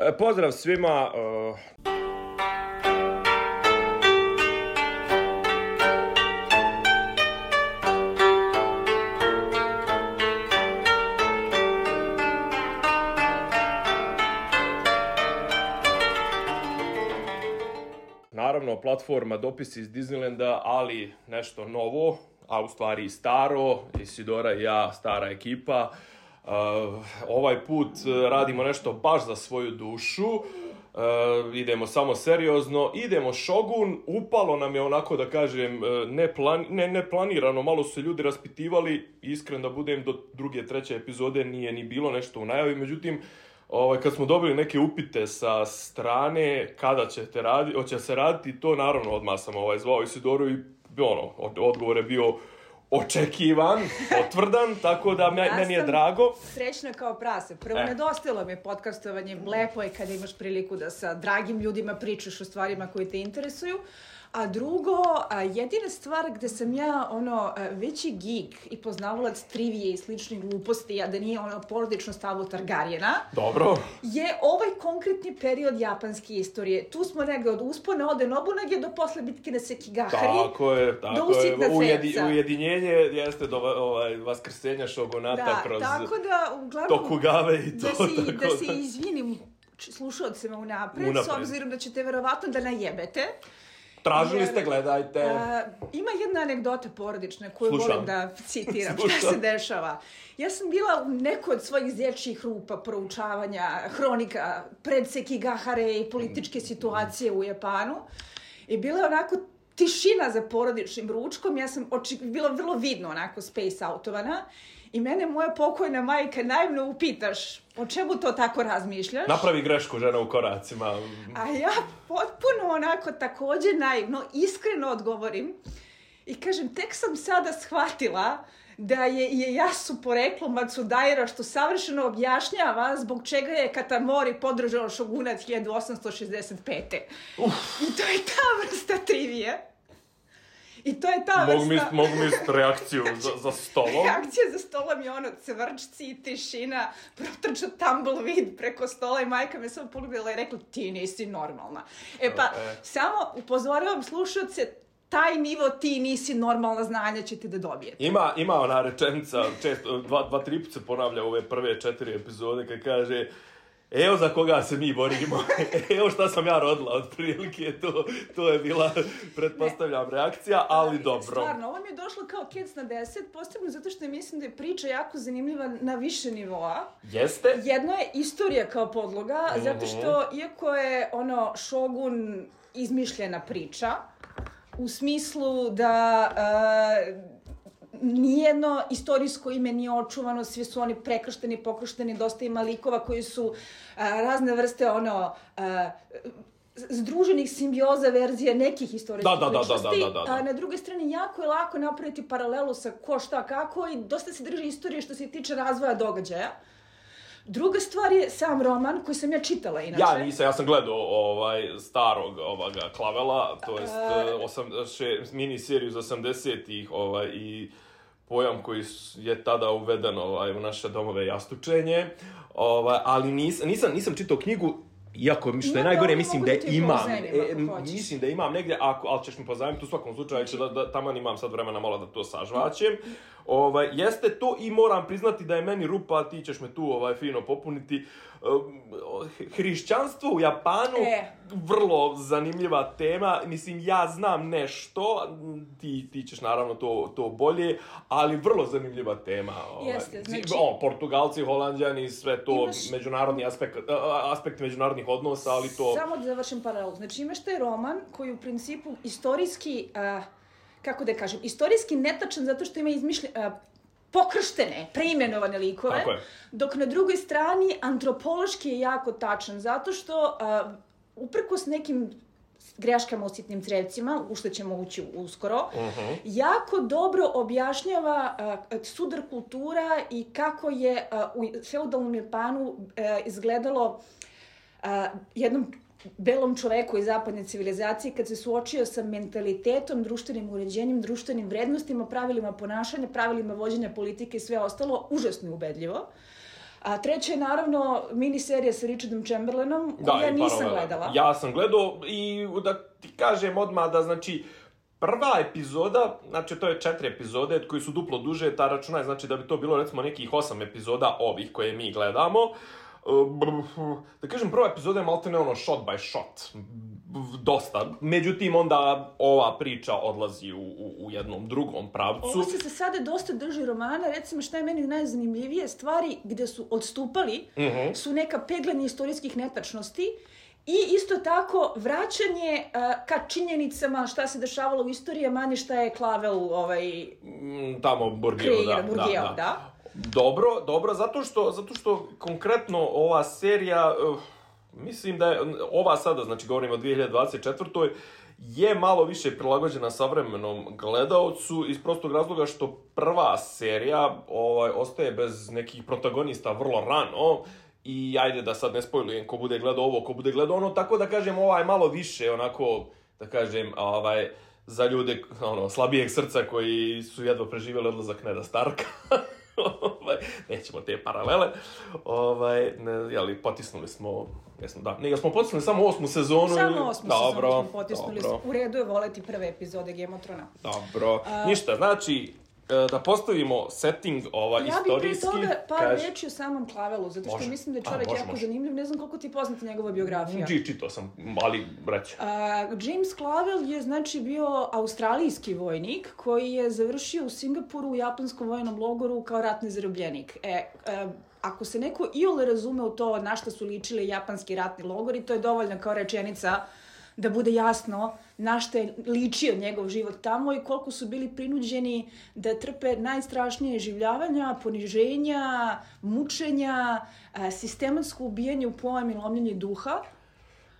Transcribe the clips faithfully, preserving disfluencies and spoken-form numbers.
E, pozdrav svima. Uh... Naravno, platforma Dopisi iz Disneylanda, ali nešto novo, a u stvari i staro, Isidora i ja, stara ekipa. Uh, ovaj put radimo nešto baš za svoju dušu, uh, idemo samo seriozno, idemo Shogun, upalo nam je onako da kažem ne, plan, ne, ne planirano, malo su se ljudi raspitivali, iskren da budem do druge, treće epizode nije ni bilo nešto u najavi, međutim, ovaj, kad smo dobili neke upite sa strane kada ćete raditi, hoće se raditi, to naravno odmah sam ovaj, zvao Isidoru i ono, odgovor je bio očekivan, potvrdan, tako da me, ja meni je drago. Srećna kao prase. Prvo, eh. nedostajalo mi je podcastovanje, lepo je kada imaš priliku da sa dragim ljudima pričaš o stvarima koje te interesuju. A drugo, a jedina stvar gde sam ja ono veći geek i poznavalac trivije i sličnih gluposti, a da nije ono porodično stavo Targaryena, dobro, je ovaj konkretni period japanske istorije. Tu smo negde od uspona Ode Nobunage do posle bitke na Sekigahari. Tako je, tako do Usitna je. Ujedi, ujedinjenje jeste do ovaj, vaskrsenja šogunata da, kroz tako da, uglavnom, Tokugave i to. Da si, tako da se izvinim slušalcima unapred, unapred, s obzirom da ćete verovatno da najebete. Tražili ste, gledajte. Uh, ima jedna anegdota porodična koju Slušam. volim da citiram. Šta se dešava? Ja sam bila u nekoj od svojih zječjih rupa proučavanja hronika pred Sekigahare i političke situacije u Japanu. I bila je onako tišina za porodičnim ručkom. Ja sam oči... bila vrlo vidno onako space outovana. I mene moja pokojna majka naivno upitaš o čemu to tako razmišljaš? Napravi grešku žena u koracima. A ja potpuno onako također naivno, iskreno odgovorim i kažem, tek sam sada shvatila da je Ieyasu poreklo Matsudaira, što savršeno objašnjava zbog čega je Katamori podržao šogunat hiljadu osamsto šezdeset pete. Uf. I to je ta vrsta trivije. I to je ta mogu vrsta... Mi, mogu mi reakciju za, za stolom. Reakcija za stolom je ono cvrčci i tišina, protrčao tumbleweed preko stola i majka me samo pogledala i rekla ti nisi normalna. E pa, e. samo upozoravam slušalce, taj nivo ti nisi normalna znanja ćete da dobijete. Ima, ima ona rečenica, često, dva, dva tri put se ponavlja ove prve četiri epizode kad kaže evo za koga se mi borimo, evo šta sam ja rodila, otprilike, to, to je bila, pretpostavljam, reakcija, ali dobro. Stvarno, ovo mi je došlo kao kec na deset, posebno zato što mislim da je priča jako zanimljiva na više nivoa. Jeste? Jedno je istorija kao podloga, uh-huh. zato što, iako je ono Shogun izmišljena priča, u smislu da... Uh, nijedno istorijsko ime nije očuvano, svi su oni prekršteni, pokršteni, dosta ima likova koji su a, razne vrste ono a, združenih simbioza verzije nekih istorijskih da, da, ličnosti. Da, da, da, da, da. A na druge strane, jako je lako napraviti paralelu sa ko šta kako i dosta se drži istorije što se tiče razvoja događaja. Druga stvar je sam roman koji sam ja čitala inače. Ja nisam, ja sam gledao ovaj starog ovoga Klavela, to jest uh, osam, še, mini seriju iz osamdesetih ovaj, i pojam koji je tada uveden ovaj, u naše domove jastučenje, ovaj, ali nis, nisam, nisam čitao knjigu, iako što je najgore, mislim da, da imam, e, mislim da imam negdje, ako, ali ćeš mi pozajmiti u svakom slučaju, znači, da, da taman imam sad vremena malo da to sažvaćem. Ovaj, jeste to i moram priznati da je meni rupa, ti ćeš me tu ovaj, fino popuniti. Hrišćanstvo u Japanu, e. vrlo zanimljiva tema, mislim ja znam nešto, ti, ti ćeš naravno to, to bolje, ali vrlo zanimljiva tema. Ovaj. Jeste, znači... O, Portugalci, Holanđani, sve to, imaš... međunarodni aspekt, aspekt međunarodnih odnosa, ali to... Samo da završim paralelu, znači imaš taj roman koji u principu istorijski... Uh... kako da kažem, istorijski netačan zato što ima izmišljen, uh, pokrštene, preimenovane likove, dok na drugoj strani antropološki je jako tačan, zato što uh, uprkos nekim greškama u sitnim crevcima, u što ćemo ući uskoro, uh-huh. jako dobro objašnjava uh, sudar kultura i kako je uh, u feudalnom Japanu uh, izgledalo uh, jednom belom čoveku iz zapadne civilizacije kad se suočio sa mentalitetom, društvenim uređenjem, društvenim vrednostima, pravilima ponašanja, pravilima vođenja politike i sve ostalo, užasno ubedljivo. A treća je naravno miniserija sa Richardom Chamberlainom, koju da, ja nisam gledala. Ja sam gledao i da ti kažem odmah da znači prva epizoda, znači to je četiri epizode koji su duplo duže, ta računaj znači da bi to bilo recimo nekih osam epizoda ovih koje mi gledamo. Da kažem, prva epizoda je maltene ono shot by shot, dosta. Međutim, onda ova priča odlazi u, u, u jednom drugom pravcu. Ovo se za sada dosta drži romana, recimo šta je meni najzanimljivije, stvari gde su odstupali uh-huh. su neka peglanja istorijskih netačnosti i isto tako vraćanje uh, ka činjenicama šta se dešavalo u istoriji, a manje šta je Clavel ovaj, mm, tamo Bourdieu, da, Bourdieu, da, da. da. Dobro, dobro, zato što, zato što konkretno ova serija, uh, mislim da je, ova sada, znači govorimo o dvije hiljade dvadeset četvrtoj je malo više prilagođena savremenom gledaocu iz prostog razloga što prva serija ovaj, ostaje bez nekih protagonista vrlo rano i ajde da sad ne spojlujem ko bude gledao ovo, ko bude gledao ono, tako da kažem ovaj malo više onako, da kažem, ovaj, za ljude ono, slabijeg srca koji su jedva preživjeli odlazak Neda Starka. Nećemo te paralele. Ovaj, ne, jeli, potisnuli smo, jesmo, da, ne, smo potisnuli samo osmu sezonu. Samo osmu dobro, sezonu smo potisnuli. Dobro. U redu je voleti prve epizode Game of Thrones. Dobro. A... Ništa, znači, da postavimo setting ova ja istorijski. Ja bih pre toga par kaž... reći o samom Clavelu, zato što može. Mislim da je čovjek A, može, jako može. zanimljiv. Ne znam koliko ti je poznata njegova biografija. G, čitao sam, ali reći. Uh, James Clavel je znači bio australijski vojnik koji je završio u Singapuru u japanskom vojnom logoru kao ratni zarobljenik. E, uh, ako se neko iole razume u to na šta su ličili japanski ratni logori, to je dovoljno kao rečenica da bude jasno na šta je ličio njegov život tamo i koliko su bili prinuđeni da trpe najstrašnije življavanja, poniženja, mučenja, sistematsko ubijanje u pojam i lomljenje duha.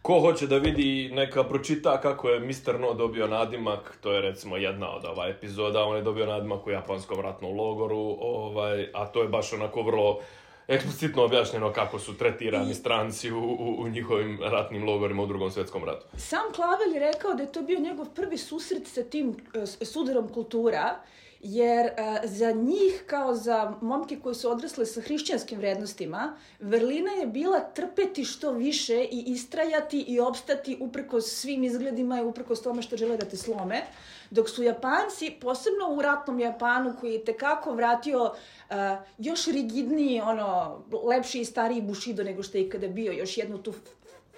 Ko hoće da vidi, neka pročita kako je mister No dobio nadimak, to je recimo jedna od ova epizoda, on je dobio nadimak u japanskom ratnom logoru, ovaj, a to je baš onako vrlo eksplicitno objašnjeno kako su tretirani I... stranci u, u, u njihovim ratnim logorima u Drugom svjetskom ratu. Sam Clavel je rekao da je to bio njegov prvi susret sa tim uh, sudarom kultura, jer uh, za njih, kao za momke koji su odrasle sa hrišćanskim vrednostima, vrlina je bila trpeti što više i istrajati i opstati uprkos svim izgledima i uprkos tome što žele da te slome. Dok su Japanci, posebno u ratnom Japanu, koji je tekako vratio uh, još rigidniji, ono, lepši i stariji Bushido nego što je ikada bio, još jednu tu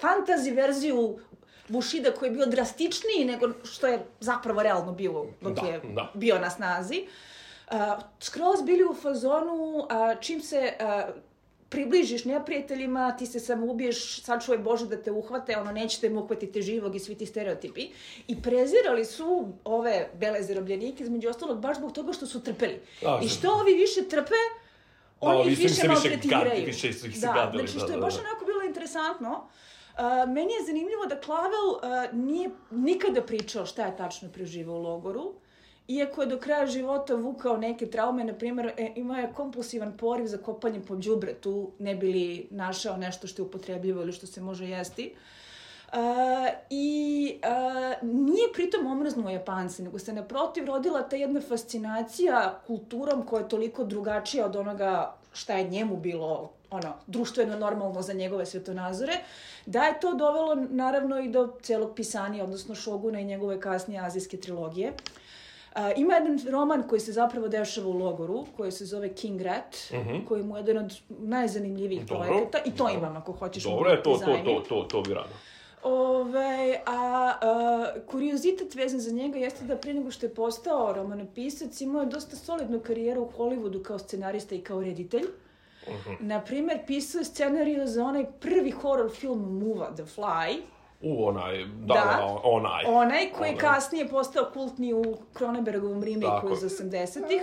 fantasy verziju Bushida koji je bio drastičniji nego što je zapravo realno bio dok da, je da. bio na snazi. Uh, skroz bili u fazonu, uh, čim se uh, približiš neprijateljima, ti se samo ubiješ, sačuvaj Bože da te uhvate, ono, nećete mu uhvatiti živog i svi ti stereotipi. I prezirali su ove bele zarobljenike, između ostalog, baš zbog toga što su trpeli. A, I što ovi više trpe, oni ih više maltretiraju. Više su ih se da, gadili. Znači, što je baš onako bilo interesantno. Uh, meni je zanimljivo da Clavel uh, nije nikada pričao šta je tačno preživao u logoru. Iako je do kraja života vukao neke traume, na primjer, imao je kompulsivan poriv za kopanje po đubretu, ne bi li našao nešto što je upotrebljivo ili što se može jesti. Uh, I uh, nije pritom omrznuo Japance, nego se naprotiv rodila ta jedna fascinacija kulturom koja je toliko drugačija od onoga šta je njemu bilo ono, društveno normalno za njegove svjetonazore, da je to dovelo naravno i do celog pisanja, odnosno Šoguna i njegove kasnije azijske trilogije. Uh, ima jedan roman koji se zapravo dešava u logoru, koji se zove King Rat, uh-huh. koji mu je jedan od najzanimljivijih Dobro. projekata. I to imam ako hoćeš. Dobro je, to, to, to, to, to bi rado. Ove, a, a kuriozitet vezan za njega jeste da prije nego što je postao romanopisac, imao je dosta solidnu karijeru u Hollywoodu kao scenarista i kao reditelj. Uh-huh. Naprimjer, pisao je scenariju za onaj prvi horror film Muva, The Fly. U, onaj, da, da onaj. Onaj koji onaj. kasnije postao kultni u Cronenbergovom remaku iz osamdesetih.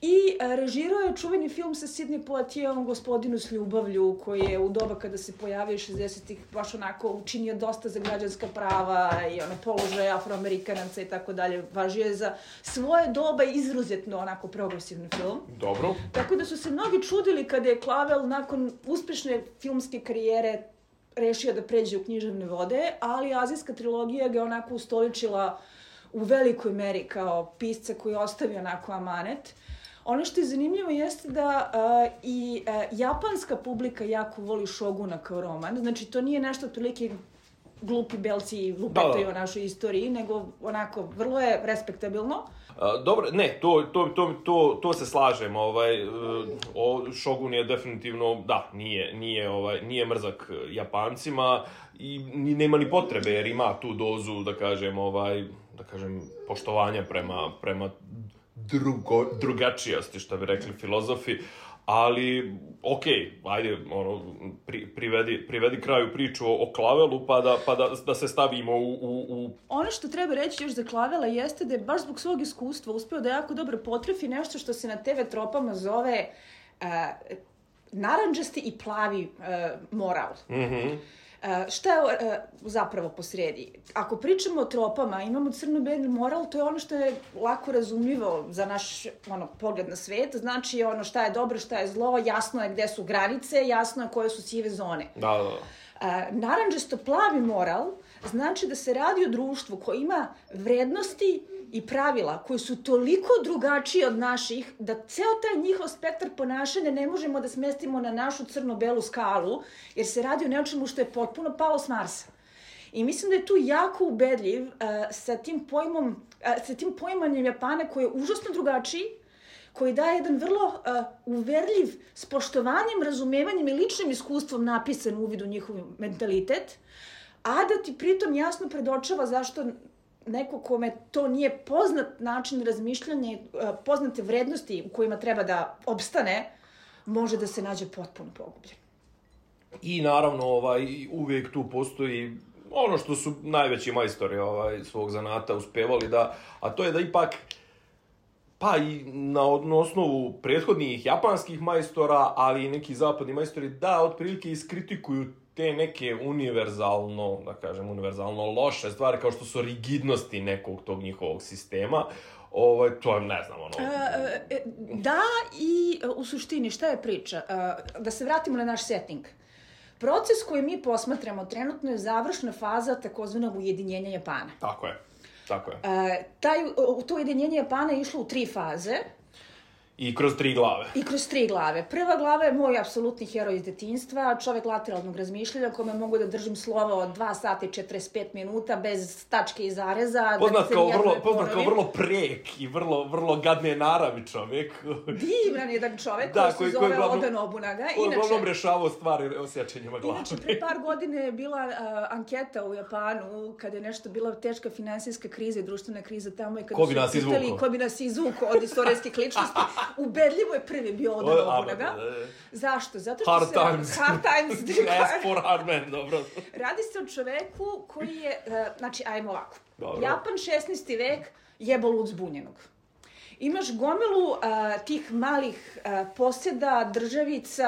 I a, režirao je čuveni film sa Sidney Poitierom, Gospodinu s ljubavlju, koji je u doba kada se pojavio šezdesetih baš onako učinio dosta za građanska prava i ono, položaje Afroamerikanaca i tako dalje. Važio je za svoje doba izuzetno onako progresivni film. Dobro. Tako da su se mnogi čudili kada je Clavel nakon uspešne filmske karijere rešio da pređe u književne vode, ali azijska trilogija ga onako ustoličila u velikoj meri kao pisca koji ostavi onako amanet. Ono što je zanimljivo jeste da uh, i uh, japanska publika jako voli Šoguna kao roman. Znači, to nije nešto otprilike glupi belci lupetaju o našoj istoriji, nego onako, vrlo je respektabilno. Uh, dobro, ne, to, to, to, to, to se slažem, ovaj, uh, o, Shogun je definitivno, da, nije, nije, ovaj, nije mrzak Japancima i ni, nema ni potrebe, jer ima tu dozu, da kažem, ovaj, da kažem, poštovanja prema, prema drugo, drugačijosti, što bi rekli filozofi, ali, okej, okay, ajde, ono, pri, privedi, privedi kraju priču o, o Klavelu, pa, da, pa da, da se stavimo u, u, u... Ono što treba reći još za Klavela jeste da je baš zbog svog iskustva uspeo da jako dobro potrefi nešto što se na te ve tropama zove uh, narandžasti i plavi uh, moral. Mhm. Uh, šta je uh, zapravo posredi? Ako pričamo o tropama, imamo crno-beli moral, to je ono što je lako razumljivo za naš ono, pogled na svet. Znači ono šta je dobro, šta je zlo, jasno je gde su granice, jasno je koje su sive zone. Da, da, da. Uh, naranđasto-plavi moral znači da se radi o društvu koje ima vrednosti i pravila koji su toliko drugačiji od naših da ceo taj njihov spektar ponašanja ne možemo da smestimo na našu crno-belu skalu, jer se radi o nečemu što je potpuno palo s Marsa. I mislim da je tu jako ubedljiv uh, sa tim pojmom, uh, sa tim poimanjem Japana koji je užasno drugačiji, koji daje jedan vrlo uh, uverljiv, s poštovanjem, razumevanjem i ličnim iskustvom napisan uvid u njihov mentalitet, a da ti pritom jasno predočava zašto neko kome to nije poznat način razmišljanja, poznate vrednosti u kojima treba da opstane, može da se nađe potpuno pogubljen. I naravno, ovaj, uvijek tu postoji ono što su najveći majstori ovaj, svog zanata uspevali da, a to je da ipak, pa i na, na osnovu prethodnih japanskih majstora, ali i neki zapadni majstori, da otprilike iskritikuju te neke univerzalno, da kažem, univerzalno loše stvari, kao što su rigidnosti nekog tog njihovog sistema. Ovaj, to je, ne znam, ono... E, da, i u suštini, šta je priča? Da se vratimo na naš setting. Proces koji mi posmatramo trenutno je završna faza takozvanog ujedinjenja Japana. Tako je, tako je. E, taj, to ujedinjenje Japana je išlo u tri faze. I kroz tri glave. I kroz tri glave. Prva glava je moj apsolutni heroj iz detinjstva, čovek lateralnog razmišljanja, kome mogu da držim slovo od dva sata i četrdeset pet minuta, bez tačke i zareza. Poznat kao vrlo, poznat kao vrlo prek i vrlo, vrlo gadne naravi čovek. Divran jedan čovek da, koji se zove Oda Nobunaga. Koji je uglavnom rešavao stvari osjećanjima glave. Inače, pre par godine je bila uh, anketa u Japanu, kada je nešto bila teška finansijska kriza i društvena kriza tamo i kada ko bi nas izvukao? Ko bi nas izvukao od istorijskih ličnosti. Ubedljivo je prvi bio Oda Nobunaga. Zašto? Zato što hard se... Times. Hard times. As for hard men, dobro. Radi se o čoveku koji je, uh, znači, ajmo ovako. Dobro. Japan šesnaesti vek, jebo lud zbunjenog. Imaš gomilu uh, tih malih uh, posjeda, državica,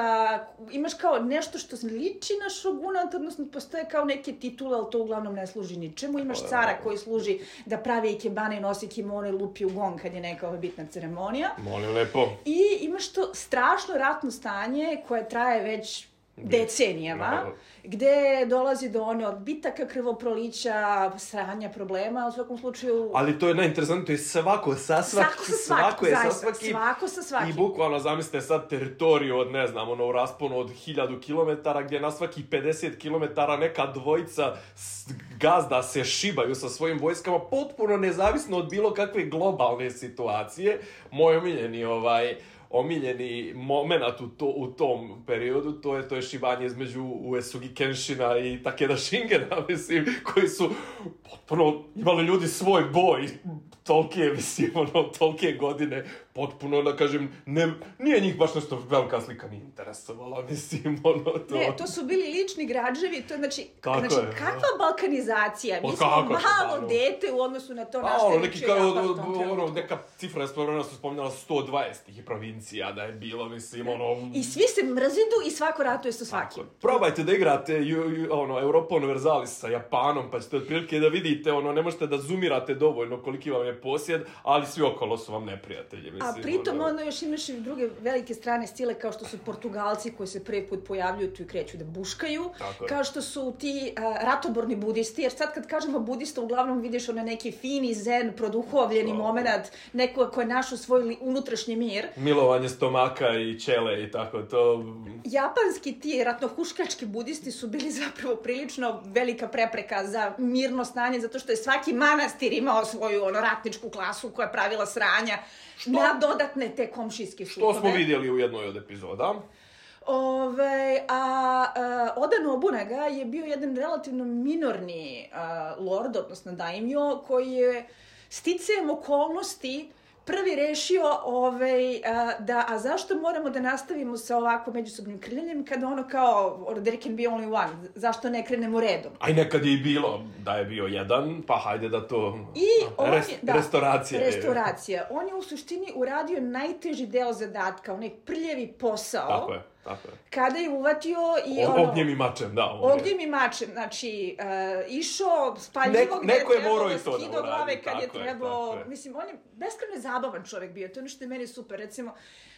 imaš kao nešto što liči na šogunat, odnosno postoje kao neke titule, ali to uglavnom ne služi ničemu. Imaš cara koji služi da pravi ikebane i nosi kimono i lupi u gong kad je neka bitna ceremonija. Molim lepo. I imaš to strašno ratno stanje koje traje već decenijama, no. Gde dolazi do one odbitaka, krvoprolića, sranja problema, u svakom slučaju... Ali to je najinteresantno, to je svako sa svakim. Svako sa svakim, svako je zaista, sa svakim. Svako sa svakim. I bukvalno zamislite sad teritoriju od, ne znam, ono, u rasponu od hiljadu kilometara, gdje na svaki pedeset kilometara neka dvojica gazda se šibaju sa svojim vojskama, potpuno nezavisno od bilo kakve globalne situacije. Moj omiljeni, ovaj... omiljeni moment u, to, u tom periodu, to je to je šibanje između Uesugi Kenshina i Takeda Shingena, mislim, koji su potpuno imali ljudi svoj boj, tolike, mislim, ono, tolike godine, potpuno, da kažem, ne, nije njih baš nešto velika slika ni interesovala, mislim, ono, to... Ne, to su bili lični građevi, to je, znači, Kako znači je, kakva balkanizacija, mi smo kako, malo ono, dete u odnosu na to a, našte ono, liči kao, Japan u tom trenutku. Ono, neka cifra je spomenula, su spominjala sto dvadeset tih provincija da je bilo, mislim, ono... I svi se mrzidu i svako ratuje sa svakim. Probajte da igrate ju, ju, ono, Europa Universalis sa Japanom, pa ćete otprilike da vidite, ono, ne možete da zoomirate dovoljno koliki vam je posjed, ali svi okolo su vam neprijatelji, mislim. A pritom onda još imaš i druge velike strane stile kao što su Portugalci koji se prvi put pojavljuju tu i kreću da buškaju, kao što su ti uh, ratoborni budisti, jer sad kad kažemo budista uglavnom vidiš onaj neki fini, zen, produhovljeni oh. moment, neko ko je našao svoj unutrašnji mir. Milovanje stomaka i ćele i tako to. Japanski ti ratnohuškački budisti su bili zapravo prilično velika prepreka za mirno stanje, zato što je svaki manastir imao svoju ono, ratničku klasu koja je pravila sranja što? Na dodatne te komšijske šutove. Što smo vidjeli u jednoj od epizoda. Ove, a, a Oda Nobunaga je bio jedan relativno minorni a, lord, odnosno daimyo, koji je sticajem okolnosti prvi rešio ovaj, a, da, a zašto moramo da nastavimo sa ovako međusobnim krljanjem kada ono kao, or there can be only one, zašto ne krenemo redom? Aj nekad je i bilo da je bio jedan, pa hajde da to... I on Rest, je, da, restauracija. Restauracija. On je u suštini uradio najteži deo zadatka, onaj prljavi posao. Tako je. Tako je. Kada je uvatio i o, ono... Ognjem i mačem, da. Ognjem i mačem, znači, uh, išao spaljivo gde je trebalo da skidao glave kad je trebao... Mislim, on je beskrajno zabavan čovjek bio, to je ono što je meni super. Recimo,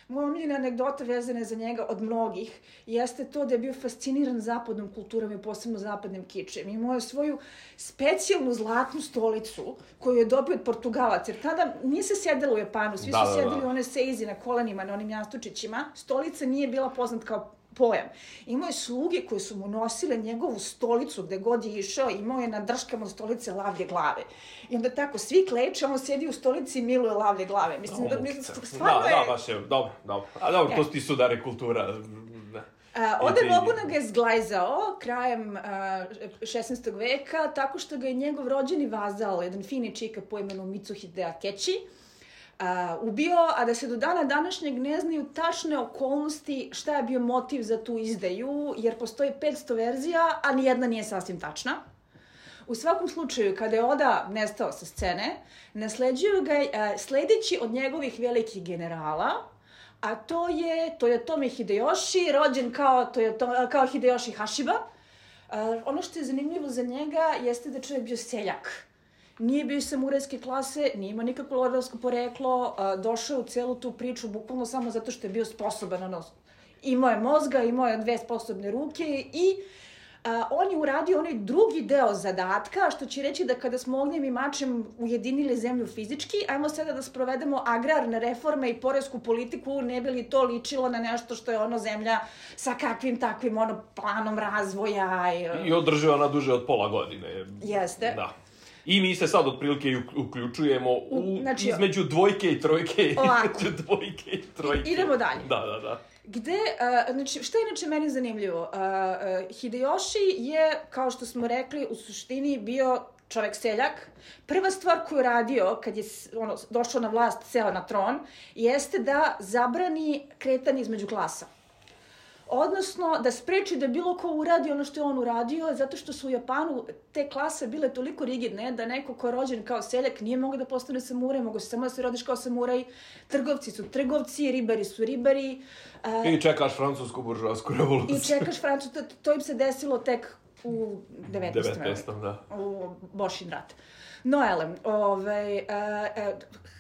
moja omiljena anegdota vezana za njega od mnogih jeste to da je bio fasciniran zapadnom kulturom i posebno zapadnim kičem. Imao je svoju specijalnu zlatnu stolicu koju je dobio od Portugalaca, jer tada nije se sjedalo u Japanu, svi da, su sjedili da, da. one seizi na kolenima, na onim jastučićima. Stolica nije bila poznat kao pojam. Imao je sluge koje su mu nosile njegovu stolicu gde god je išao, imao je na drškama stolice lavlje glave. I onda tako, svi kleče, on sjedi u stolici i miluje lavlje glave. Mislim, da, mislim, stvarno da, je... Da, baš je, dobro, dobro. A dobro, to ti sudare kultura. Ne. Oda Nobunaga je zglajzao krajem uh, šesnaestog veka tako što ga je njegov rođeni vazal, jedan fini čika po imenu Mitsuhide Akechi, Uh, ubio, a da se do dana današnjeg ne znaju tačne okolnosti šta je bio motiv za tu izdaju, jer postoji petsto verzija, a nijedna nije sasvim tačna. U svakom slučaju, kada je Oda nestao sa scene, nasleđuju ga uh, sledeći od njegovih velikih generala, a to je Toyotomi Hideyoshi, rođen kao, Toyoto, kao Hideyoshi Hashiba. Uh, ono što je zanimljivo za njega jeste da je čovjek bio seljak. Nije bio samurajske klase, nije imao nikakvo lordovsko poreklo, uh, došao je u celu tu priču bukvalno samo zato što je bio sposoban, ono, imao je mozga, imao je dve sposobne ruke i uh, on je uradio onaj drugi deo zadatka, što će reći da kada smo ognjem i mačem ujedinili zemlju fizički, ajmo sada da sprovedemo agrarne reforme i poresku politiku, ne bi li to ličilo na nešto što je ono zemlja sa kakvim takvim ono planom razvoja. I, I održiva na duže od pola godine. Jeste. Da. I mi se sad otprilike uključujemo u, znači, između dvojke i trojke. Između dvojke i trojke. I, idemo dalje. Da, da, da. Gde, uh, znači, što je inače meni zanimljivo? Uh, uh, Hideyoshi je, kao što smo rekli, u suštini bio čovek seljak. Prva stvar koju je radio kad je ono, došao na vlast, seo na tron, jeste da zabrani kretanje između klasa. Odnosno, da spreči da bilo ko uradi ono što je on uradio, zato što su u Japanu te klase bile toliko rigidne da neko ko je rođen kao seljak nije mogao da postane samuraj, mogo se samo da se rodiš kao samuraj, trgovci su trgovci, ribari su ribari. Uh, I čekaš francusku buržoasku revoluciju. I čekaš francusku, to, to im se desilo tek u devetnaestom da. U Bošin rat. No, elem, ovaj, uh,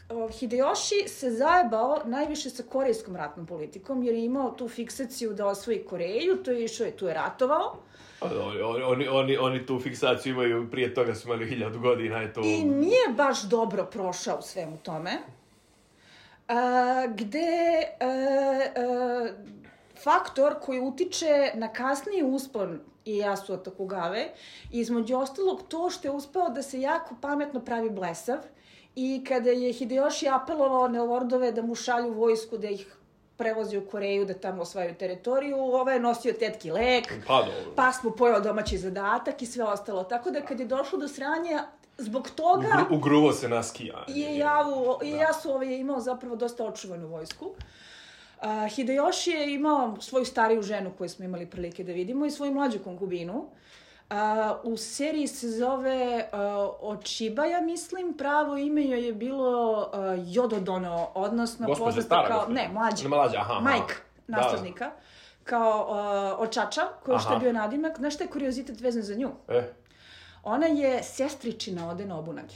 uh, Hideyoshi se zajebao najviše sa korejskom ratnom politikom, jer je imao tu fiksaciju da osvoji Koreju, to je išao i tu je ratovao. Oni, oni, oni, oni tu fiksaciju imaju, prije toga su imali hiljadu godina. Je to... I nije baš dobro prošao u svemu tome. Uh, gde uh, uh, faktor koji utiče na kasniji uspon Ieyasu od Tokugave, između ostalog to što je uspeo da se jako pametno pravi blesav i kada je Hideyoshi apelovao na lordove da mu šalju vojsku da ih prevozi u Koreju, da tamo osvajaju teritoriju, ovaj je nosio tetki lek, pa, pa smo pojao domaći zadatak i sve ostalo. Tako da kad je došlo do sranja, zbog toga... Ugru, ugruvo se na skija. Ieyasu ovaj je imao zapravo dosta očuvanu vojsku. Uh, Hideyoshi je imao svoju stariju ženu koju smo imali prilike da vidimo i svoju mlađu konkubinu. Uh, u seriji se zove uh, Ochiba, ja mislim, pravo ime joj je bilo uh, Yododono, odnosno gospođa stara, kao, gospođa. ne, mlađa, ne, mlađa aha, majka naslednika, da. Kao uh, Očača, koji što je bio nadimak. Znaš šta je kuriozitet vezan za nju? E. Ona je sestričina Ode Nobunage.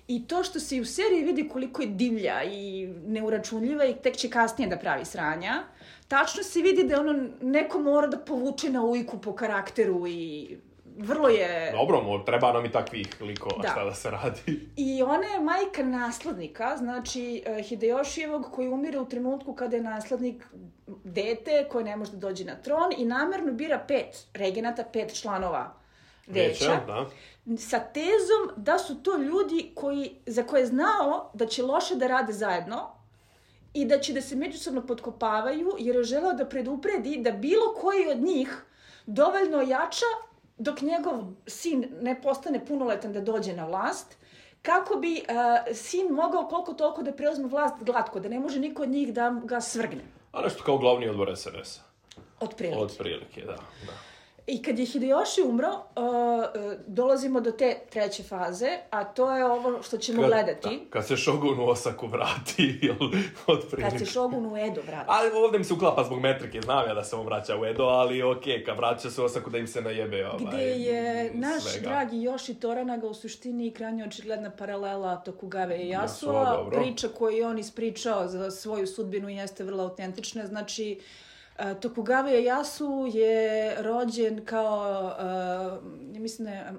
I to što se i u seriji vidi koliko je divlja i neuračunljiva i tek će kasnije da pravi sranja, tačno se vidi da ono neko mora da povuče na ujku po karakteru i vrlo je... Dobro, treba nam i takvih likova, da. Šta da se radi. I ona je majka naslednika, znači Hideyoshijevog, koji umire u trenutku kada je naslednik dete koje ne može da dođe na tron i namerno bira pet regenata, pet članova veća, Veća da. sa tezom da su to ljudi koji, za koje je znao da će loše da rade zajedno i da će da se međusobno potkopavaju, jer je želeo da predupredi da bilo koji od njih dovoljno jača dok njegov sin ne postane punoletan da dođe na vlast, kako bi uh, sin mogao koliko toliko da preuzme vlast glatko, da ne može niko od njih da ga svrgne. A nešto kao glavni odbor es en es-a. Od prilike. Od prilike, da. da. I kad je Hideyoshi umro, uh, dolazimo do te treće faze, a to je ovo što ćemo kad, gledati. Da, kad se Shogun u Osaku vrati, jel, od prilike. Kad se Shogun u Edo vrati. Ali ovdje mi se uklapa zbog metrike, znam ja da se on vraća u Edo, ali okej, okay, kad vraća se u Osaku da im se najebe ovaj, gde je naš svega. dragi Yoshi Toranaga u suštini krajnje očigledna paralela Tokugave i Yasua. Priča koju je on ispričao za svoju sudbinu jeste vrlo autentična, znači Uh, Tokugawa Ieyasu je rođen kao, uh, ja mislim da je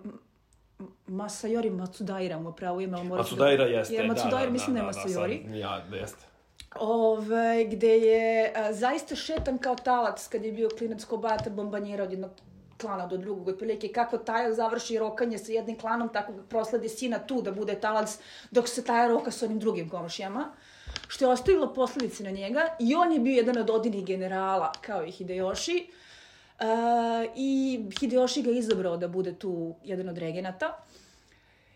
Masayori Matsudaira mu pravo ime. Matsudaira jeste, je, Matsudaira, da, mislim da, da je Masayori. Da, ja, jeste. Ove, gde je uh, zaista šetan kao talac kad je bio klinac Kobata bombanjera od jednog klana do drugog, otprilike kako Taja završi rokanje sa jednim klanom, tako prosledi sina tu da bude talac dok se Taja roka sa onim drugim komšijama, što je ostavilo posledice na njega i on je bio jedan od odinih generala kao i Hideyoshi uh, i Hideyoshi ga izabrao da bude tu jedan od regenata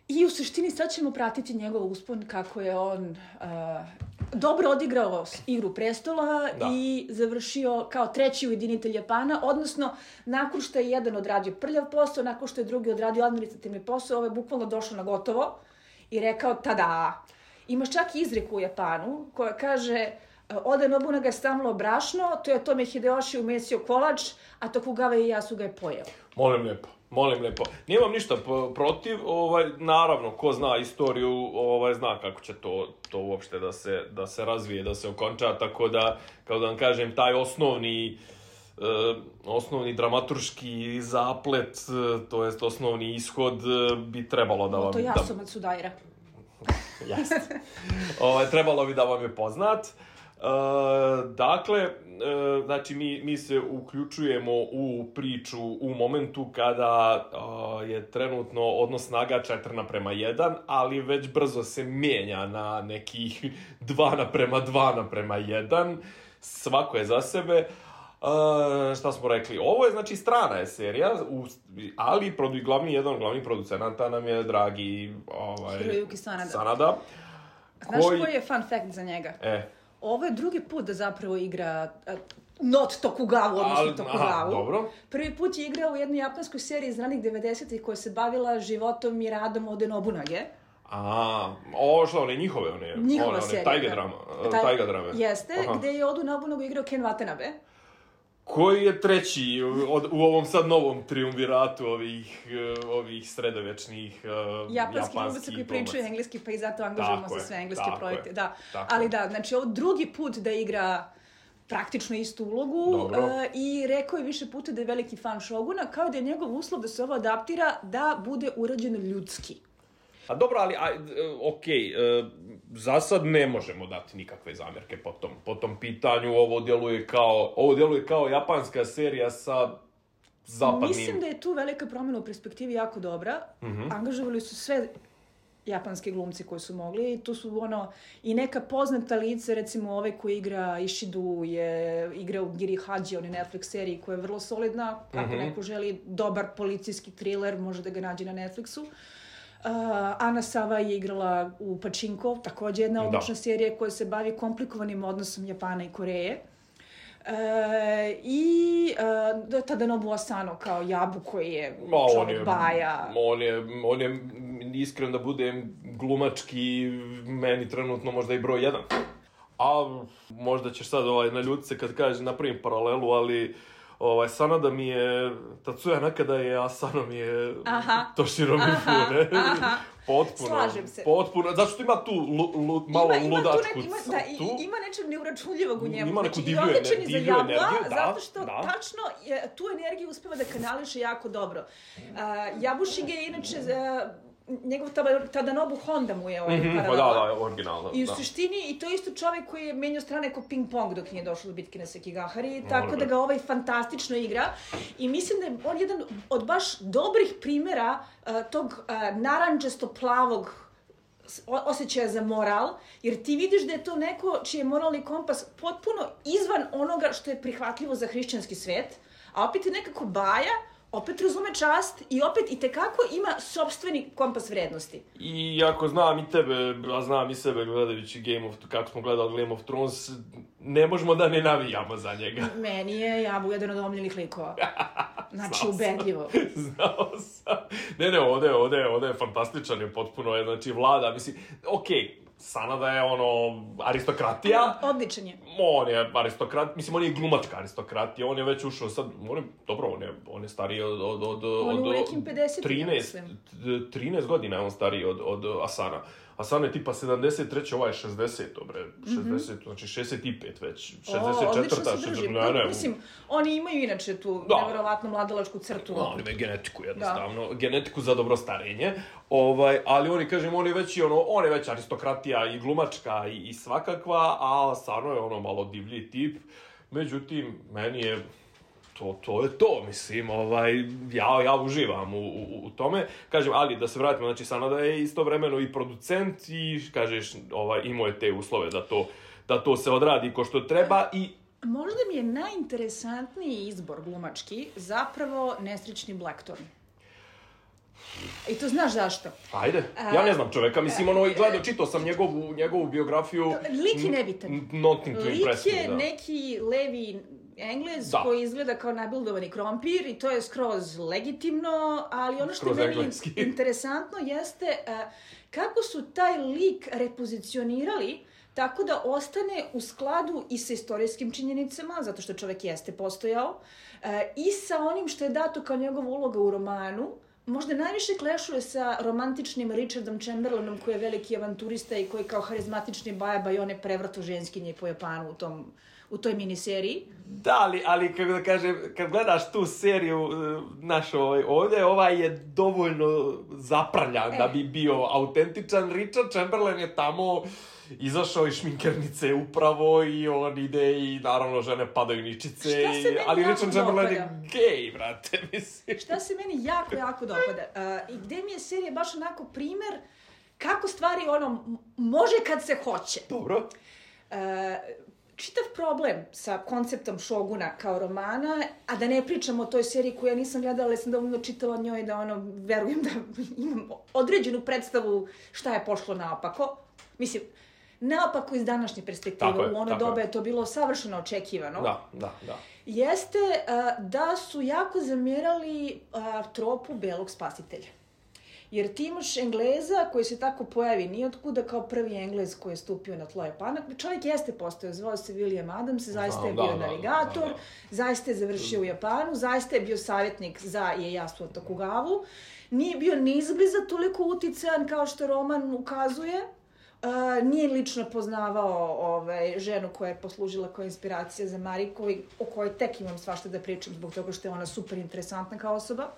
i u suštini sad ćemo pratiti njegov uspon kako je on uh, dobro odigrao Igru prestola da. I završio kao treći ujedinitelj Japana, odnosno nakon što je jedan odradio prljav posao, nakon što je drugi odradio administrativni posao, ovo je bukvalno došlo na gotovo i rekao tada. Imaš čak izreku u Japanu koja kaže Oda Nobunaga je stamlo brašno, to je tome Hideyoshi umesio kolač, a Tokugawa Ieyasu ga je pojeo. Molim lijepo. Molim lijepo. Nemam ništa protiv, ovaj, naravno, ko zna istoriju, ovaj, zna kako će to, to uopšte da se, da se razvije, da se okonča, tako da, kao da vam kažem, taj osnovni, eh, osnovni dramaturški zaplet, eh, to jest osnovni ishod, eh, bi trebalo da vam... To ja sam Matsudaira. Jeste. ovaj, trebalo bi da vam je poznat. Uh, dakle, uh, znači mi, mi se uključujemo u priču u momentu kada uh, je trenutno odnos snaga četiri naprema jedan, ali već brzo se mijenja na nekih dva naprema dva naprema jedan. Svako je za sebe. Uh, šta smo rekli? Ovo je, znači, strana je serija, u, ali produ, glavni, jedan od glavnih producenata nam je dragi ovaj, Hiroyuki Sanada. Sanada. Znaš koji... koji je fun fact za njega? E. Ovo je drugi put da zapravo igra uh, not Tokugawa, odnosno Tokugawa. Dobro. Prvi put je igrao u jednoj japanskoj seriji iz ranih devedesetih koja se bavila životom i radom Ode Nobunage. A, o, što, one njihove, one, Njihova one, one serija, tajge da. drama, Taj, tajga drame. Jeste, Aha. gde je Odu Nobunagu igrao Ken Watanabe. Koji je treći od, u ovom sad novom triumviratu ovih, ovih sredovečnih uh, japanskih glumaca koji pričaju engleski, pa i zato angažujemo za sve engleske projekte. Je, da. Ali da, znači ovo drugi put da igra praktično istu ulogu uh, i rekao je više puta da je veliki fan Shoguna, kao da je njegov uslov da se ovo adaptira da bude urađeno ljudski. A dobro, ali, a, okej, okay, za sad ne možemo dati nikakve zamjerke po tom, po tom pitanju. Ovo djeluje kao, ovo djeluje kao japanska serija sa zapadnim... Mislim da je tu velika promjena u perspektivi jako dobra. Mm-hmm. Angažovali su sve japanske glumci koji su mogli. Tu su ono i neka poznata lice, recimo ovaj koji igra Ishidu je igra u Giri Haji, on je Netflix seriji koja je vrlo solidna. Ako mm-hmm. neko želi dobar policijski thriller, može da ga nađe na Netflixu. Uh, Ana Sava je igrala u Pachinko, također jedna odlična serija koja se bavi komplikovanim odnosom Japana i Koreje. Uh, I uh, Tadanobu Asano kao Jabu koji je čovjek on baja. On je, on je, iskren da budem glumački, meni trenutno možda i broj jedan. A možda ćeš sad ovaj, naljutiti se kad kažem napravim paralelu, ali Ovaj, Sanada mi je Tatsuya Nakada je, a Sano mi je aha. Toshiro Mifune. Aha. Potpuno. Slažem se. Potpuno. Zato što ima tu lu, lu, malo ima, ima ludačku ne, ima, crtu. Da, i, ima nečeg neuračunljivog u njemu. Ima neku znači, divlju, ener, divlju divlju energiju, da. Zato što da. tačno je, tu energiju uspeva da kanališe jako dobro. Uh, Yabushige je inače... Uh, njegov Tadanobu Honda mu je ovaj mm-hmm, paralela. Da, da, originalno. I u da. suštini, i to je isto čovjek koji je menjao strane ko ping-pong dok nije došlo do bitke na Sekigahari, no, tako da ga ovaj fantastično igra. I mislim da je on jedan od baš dobrih primjera uh, tog uh, naranđasto-plavog osjećaja za moral, jer ti vidiš da je to neko čiji je moralni kompas potpuno izvan onoga što je prihvatljivo za hrišćanski svet, a opet je nekako baja, opet razume čast i opet i tekako ima sopstveni kompas vrednosti. I ako znam i tebe, a znam i sebe gledajući Game of, kako smo gledali Game of Thrones, ne možemo da ne navijamo za njega. Meni je Jabu jedan od omiljenih likova. Znači, ubedljivo. Znao sam. Ne, ne, ovde, ovde, ovde je fantastičan, je potpuno, je, znači, vlada, mislim, okej, okay. Sanada je ono aristokratija. Odličan je. On je aristokrat, mislim on je glumačka aristokratija, on je već ušao sad, on je, dobro, on je, on je stariji od... od, od on je u nekim pedeset trinaest, trinaest godina je on stariji od, od Asana. Asana je tipa sedamdeset treće, ovaj je šezdeset, bre, šezdeset, mm-hmm. znači šezdeset pet već, šezdeset četiri. O, odlično se drži. Ne, ne, mislim, oni imaju inače tu da. Nevjerovatno mladalačku crtu. Da, oni imaju genetiku jednostavno, da. Genetiku za dobro starenje, ovaj, ali oni, kažem, on je već, ono, on je već aristokratija i glumačka i, i svakakva, a Asano je ono malo divlji tip, međutim, meni je... To, to je to, mislim, ovaj, ja, ja uživam u, u, u tome. Kažem, ali da se vratimo, znači Sanada je istovremeno i producent i, kažeš, ovaj, imao je te uslove da to, da to se odradi ko što treba i... Možda mi je najinteresantniji izbor glumački zapravo nesrećni Blackthorn. I to znaš zašto? Ajde, ja ne znam čoveka, mislim, ono, gledao, čitao sam njegovu, njegovu biografiju... Lik je nebitan. Nothing to impress me, da. Lik je neki levi Englez da. Koji izgleda kao nabildovani krompir i to je skroz legitimno, ali ono što je meni engleski. Interesantno jeste uh, kako su taj lik repozicionirali tako da ostane u skladu i sa istorijskim činjenicama, zato što čovjek jeste postojao, uh, i sa onim što je dato kao njegova uloga u romanu. Možda najviše klešuje sa romantičnim Richardom Chamberlainom, koji je veliki avanturista i koji kao harizmatični bajaba i one prevrto ženskinje po Japanu u tom u toj miniseriji. Da, ali, ali kako da kažem, kad gledaš tu seriju naš ovaj, ovdje, ovaj je dovoljno zaprljan e. da bi bio autentičan. Richard Chamberlain je tamo izašao iz šminkernice upravo i on ide i naravno žene padaju ničice. Šta se meni ali jako Richard Chamberlain dopada? Je gej, brate, mislim. Šta se meni jako, jako dopada? Uh, I gde mi je serija baš onako primer kako stvari ono može kad se hoće. Dobro. Uh, Čitav problem sa konceptom Šoguna kao romana, a da ne pričam o toj seriji koju ja nisam gledala, ali sam dovoljno čitala o njoj da ono, verujem da imam određenu predstavu šta je pošlo naopako. Mislim, naopako iz današnje perspektive, u ono doba je to bilo savršeno očekivano. Da, da, da. Jeste uh, da su jako zamjerali uh, tropu belog spasitelja. Jer ti imaš Engleza koji se tako pojavi nijotkuda kao prvi Englez koji je stupio na tlo Japana. Čovjek jeste postao, zvao se William Adams, zaista je bio da, navigator, da, da, da. zaista je završio u Japanu, zaista je bio savjetnik za Ieyasu Tokugavu. Nije bio ni izbliza toliko uticajan kao što roman ukazuje. Uh, nije lično poznavao ovaj, ženu koja je poslužila kao inspiracija za Mariko i o kojoj tek imam svašta da pričam zbog toga što je ona super interesantna kao osoba.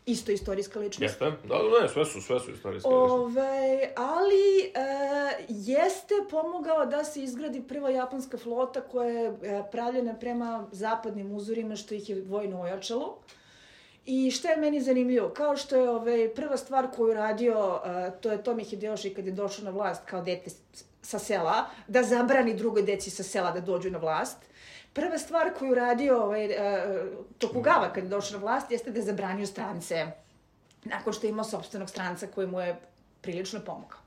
Isto istorijska ličnost. Jeste, da, ne, sve su, sve su istorijske ličnosti. Ove, ali e, jeste pomogao da se izgradi prva japanska flota koja je e, pravljena prema zapadnim uzorima što ih je vojno ojačalo. I što je meni zanimljivo, kao što je ove, prva stvar koju radio, e, to je Tomi Hideyoshi kad je došao na vlast kao dete sa sela, da zabrani drugoj deci sa sela da dođu na vlast. Prva stvar koju radio ovaj, uh, Tokugawa kad je došao na vlast jeste da je zabranio strance, nakon što je imao sopstvenog stranca koji mu je prilično pomogao.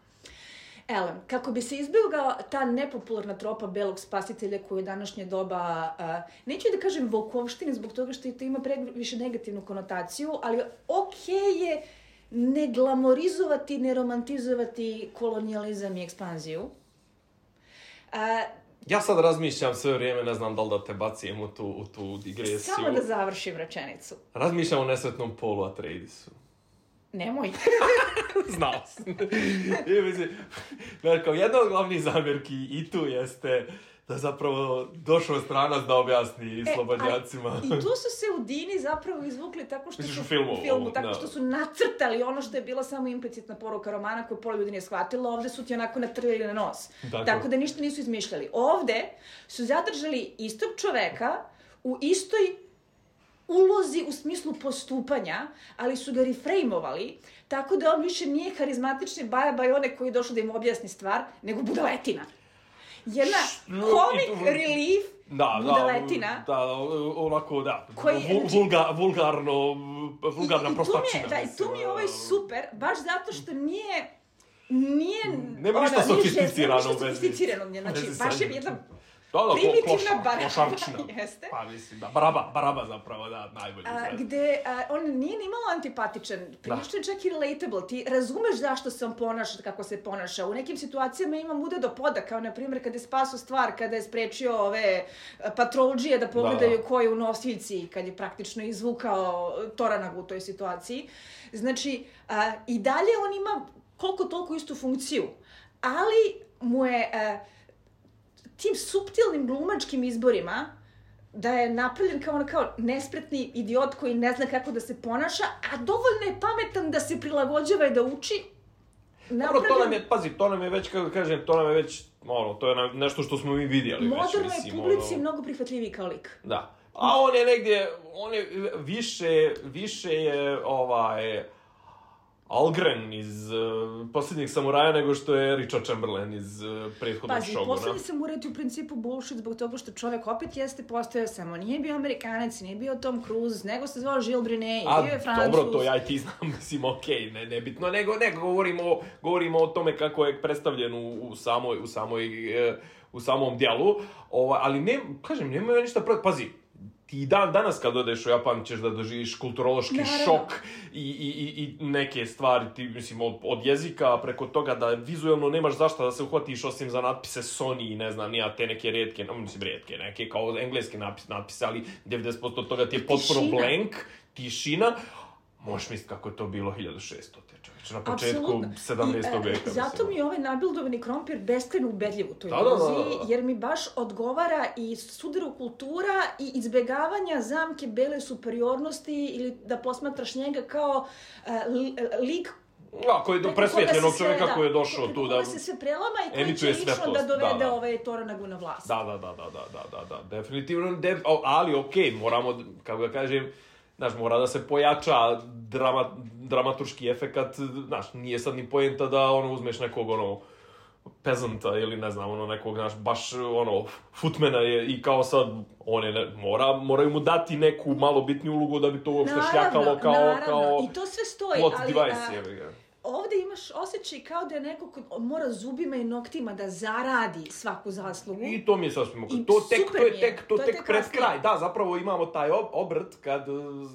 Elem, kako bi se izbjegla ta nepopularna tropa belog spasitelja koju je današnje doba, uh, neću da kažem volkovštine zbog toga što to ima previše negativnu konotaciju, ali okej okay je ne glamorizovati, ne romantizovati kolonijalizam i ekspanziju. Uh, Ja sad razmišljam sve vrijeme, ne znam da li da te bacim u tu, u tu digresiju. Samo da završim rečenicu. Razmišljam o nesretnom Paulu Atreidisu. Nemoj. Znao sam. I mislim, kao jedna od glavnih zamjerki i tu jeste da zapravo došao stranac da objasni e, slobodnjacima. I tu su se u Dini zapravo izvukli tako što su... u filmu. U filmu, tako što su nacrtali ono što je bila samo implicitna poruka romana koju pola ljudi nije shvatilo. Ovde su ti onako natrljali na nos. Tako. Tako da ništa nisu izmišljali. Ovde su zadržali istog čoveka u istoj ulozi u smislu postupanja, ali su ga refrejmovali, tako da on više nije karizmatični baja-baj one koji je došao da im objasni stvar, nego budaletina. Jedna comic relief da, budaletina. Da, da, onako, da, koji, vulga, vulgarno, vulgarna i, i prostačina. Da, i tu mi je ovaj super, baš zato što nije, nije... Nema ništa sofisticirano u vezi. Nema ništa sofisticirano, znači, baš je jedna... Da, da, primitivna baraba, jeste. Pa mislim, da, baraba, baraba zapravo, da, najbolji izraz. Gde a, on nije ni malo antipatičan, prilično je čak i relatable, ti razumeš zašto se on ponaša, kako se ponaša. U nekim situacijama ima muda do poda, kao na primjer kada je spasao stvar, kada je sprečio ove patrolđije da pogledaju da. Ko je u nosiljci, kad je praktično izvukao Toranagu u toj situaciji. Znači, a, i dalje on ima koliko toliko istu funkciju, ali mu je... A, tim suptilnim glumačkim izborima, da je napravljen kao, kao nespretni idiot koji ne zna kako da se ponaša, a dovoljno je pametan da se prilagođava i da uči. Napravljen... Dobro, to nam je, pazi, to nam je već, kako kažem, to nam je već, ono, to je nešto što smo mi vidjeli. Modernoj publici je mnogo prihvatljiviji kao lik. Da. A on je negdje, on je više, više je, ovaj... Algren iz uh, Posljednjeg samuraja nego što je Richard Chamberlain iz uh, prethodnog Pazi, Šoguna. Posljednji samuraj je u principu bullshit zbog toga što čovjek opet jeste postojao samo. Nije bio Amerikanac, nije bio Tom Cruise, nego se zvao Gilles Brunet, A, bio je Francuz. Dobro, to ja i ti znam, mislim, okej, okay, ne, nebitno, nego, nego govorimo, govorimo o tome kako je predstavljen u, u samoj, u samoj, uh, u samom djelu, Ova, ali ne, kažem, nema ništa protiv, pazi, ti dan danas kad odeš u Japan ćeš da doživiš kulturološki Naravno. šok i, i, i, i neke stvari, ti, mislim, od, od jezika preko toga da vizualno nemaš zašto da se uhvatiš osim za natpise Sony i ne znam, nija te neke rijetke, no, mislim, rijetke, neke kao engleske natpise, natpise ali devedeset posto od toga ti je potpuno blank, tišina. Možeš misliti kako je to bilo hiljadu šesto. Čovječe, na početku Absolutno. sedamnaestog veka. I, e, zato mi je ovaj nabildovani krompir beskrajno ubedljiv u toj da, da, da, da. jer mi baš odgovara i sudaru kultura i izbjegavanja zamke bele superiornosti ili da posmatraš njega kao uh, lik Ja, koji je do presvjetljenog čovjeka da, koji je došao tu da... Koji se sve prelama i koji će lično da dovede da, da. ove Toranagu na vlast. Da, da, da, da, da, da, da, da, definitivno, def, ali okej, okay, moramo, kako ga kažem, znaš, mora da se pojača drama, dramaturški efekat, znaš, nije sad ni poenta da, ono, uzmeš nekog, ono, pezanta ili ne znam, ono, nekog, znaš, baš, ono, footmana je i kao sad, on je, ne, mora, moraju mu dati neku malo bitniju ulogu da bi to uopšte šljakalo kao, naravno. kao I to sve stoji, plot ali, device, a, je, je. Ovde imaš osjećaj kao da je neko ko mora zubima i noktima da zaradi svaku zaslugu. I to mi je sasvim ok. To tek, to je tek, to, to tek, tek pred kraj. Da, zapravo imamo taj ob, obrt kad,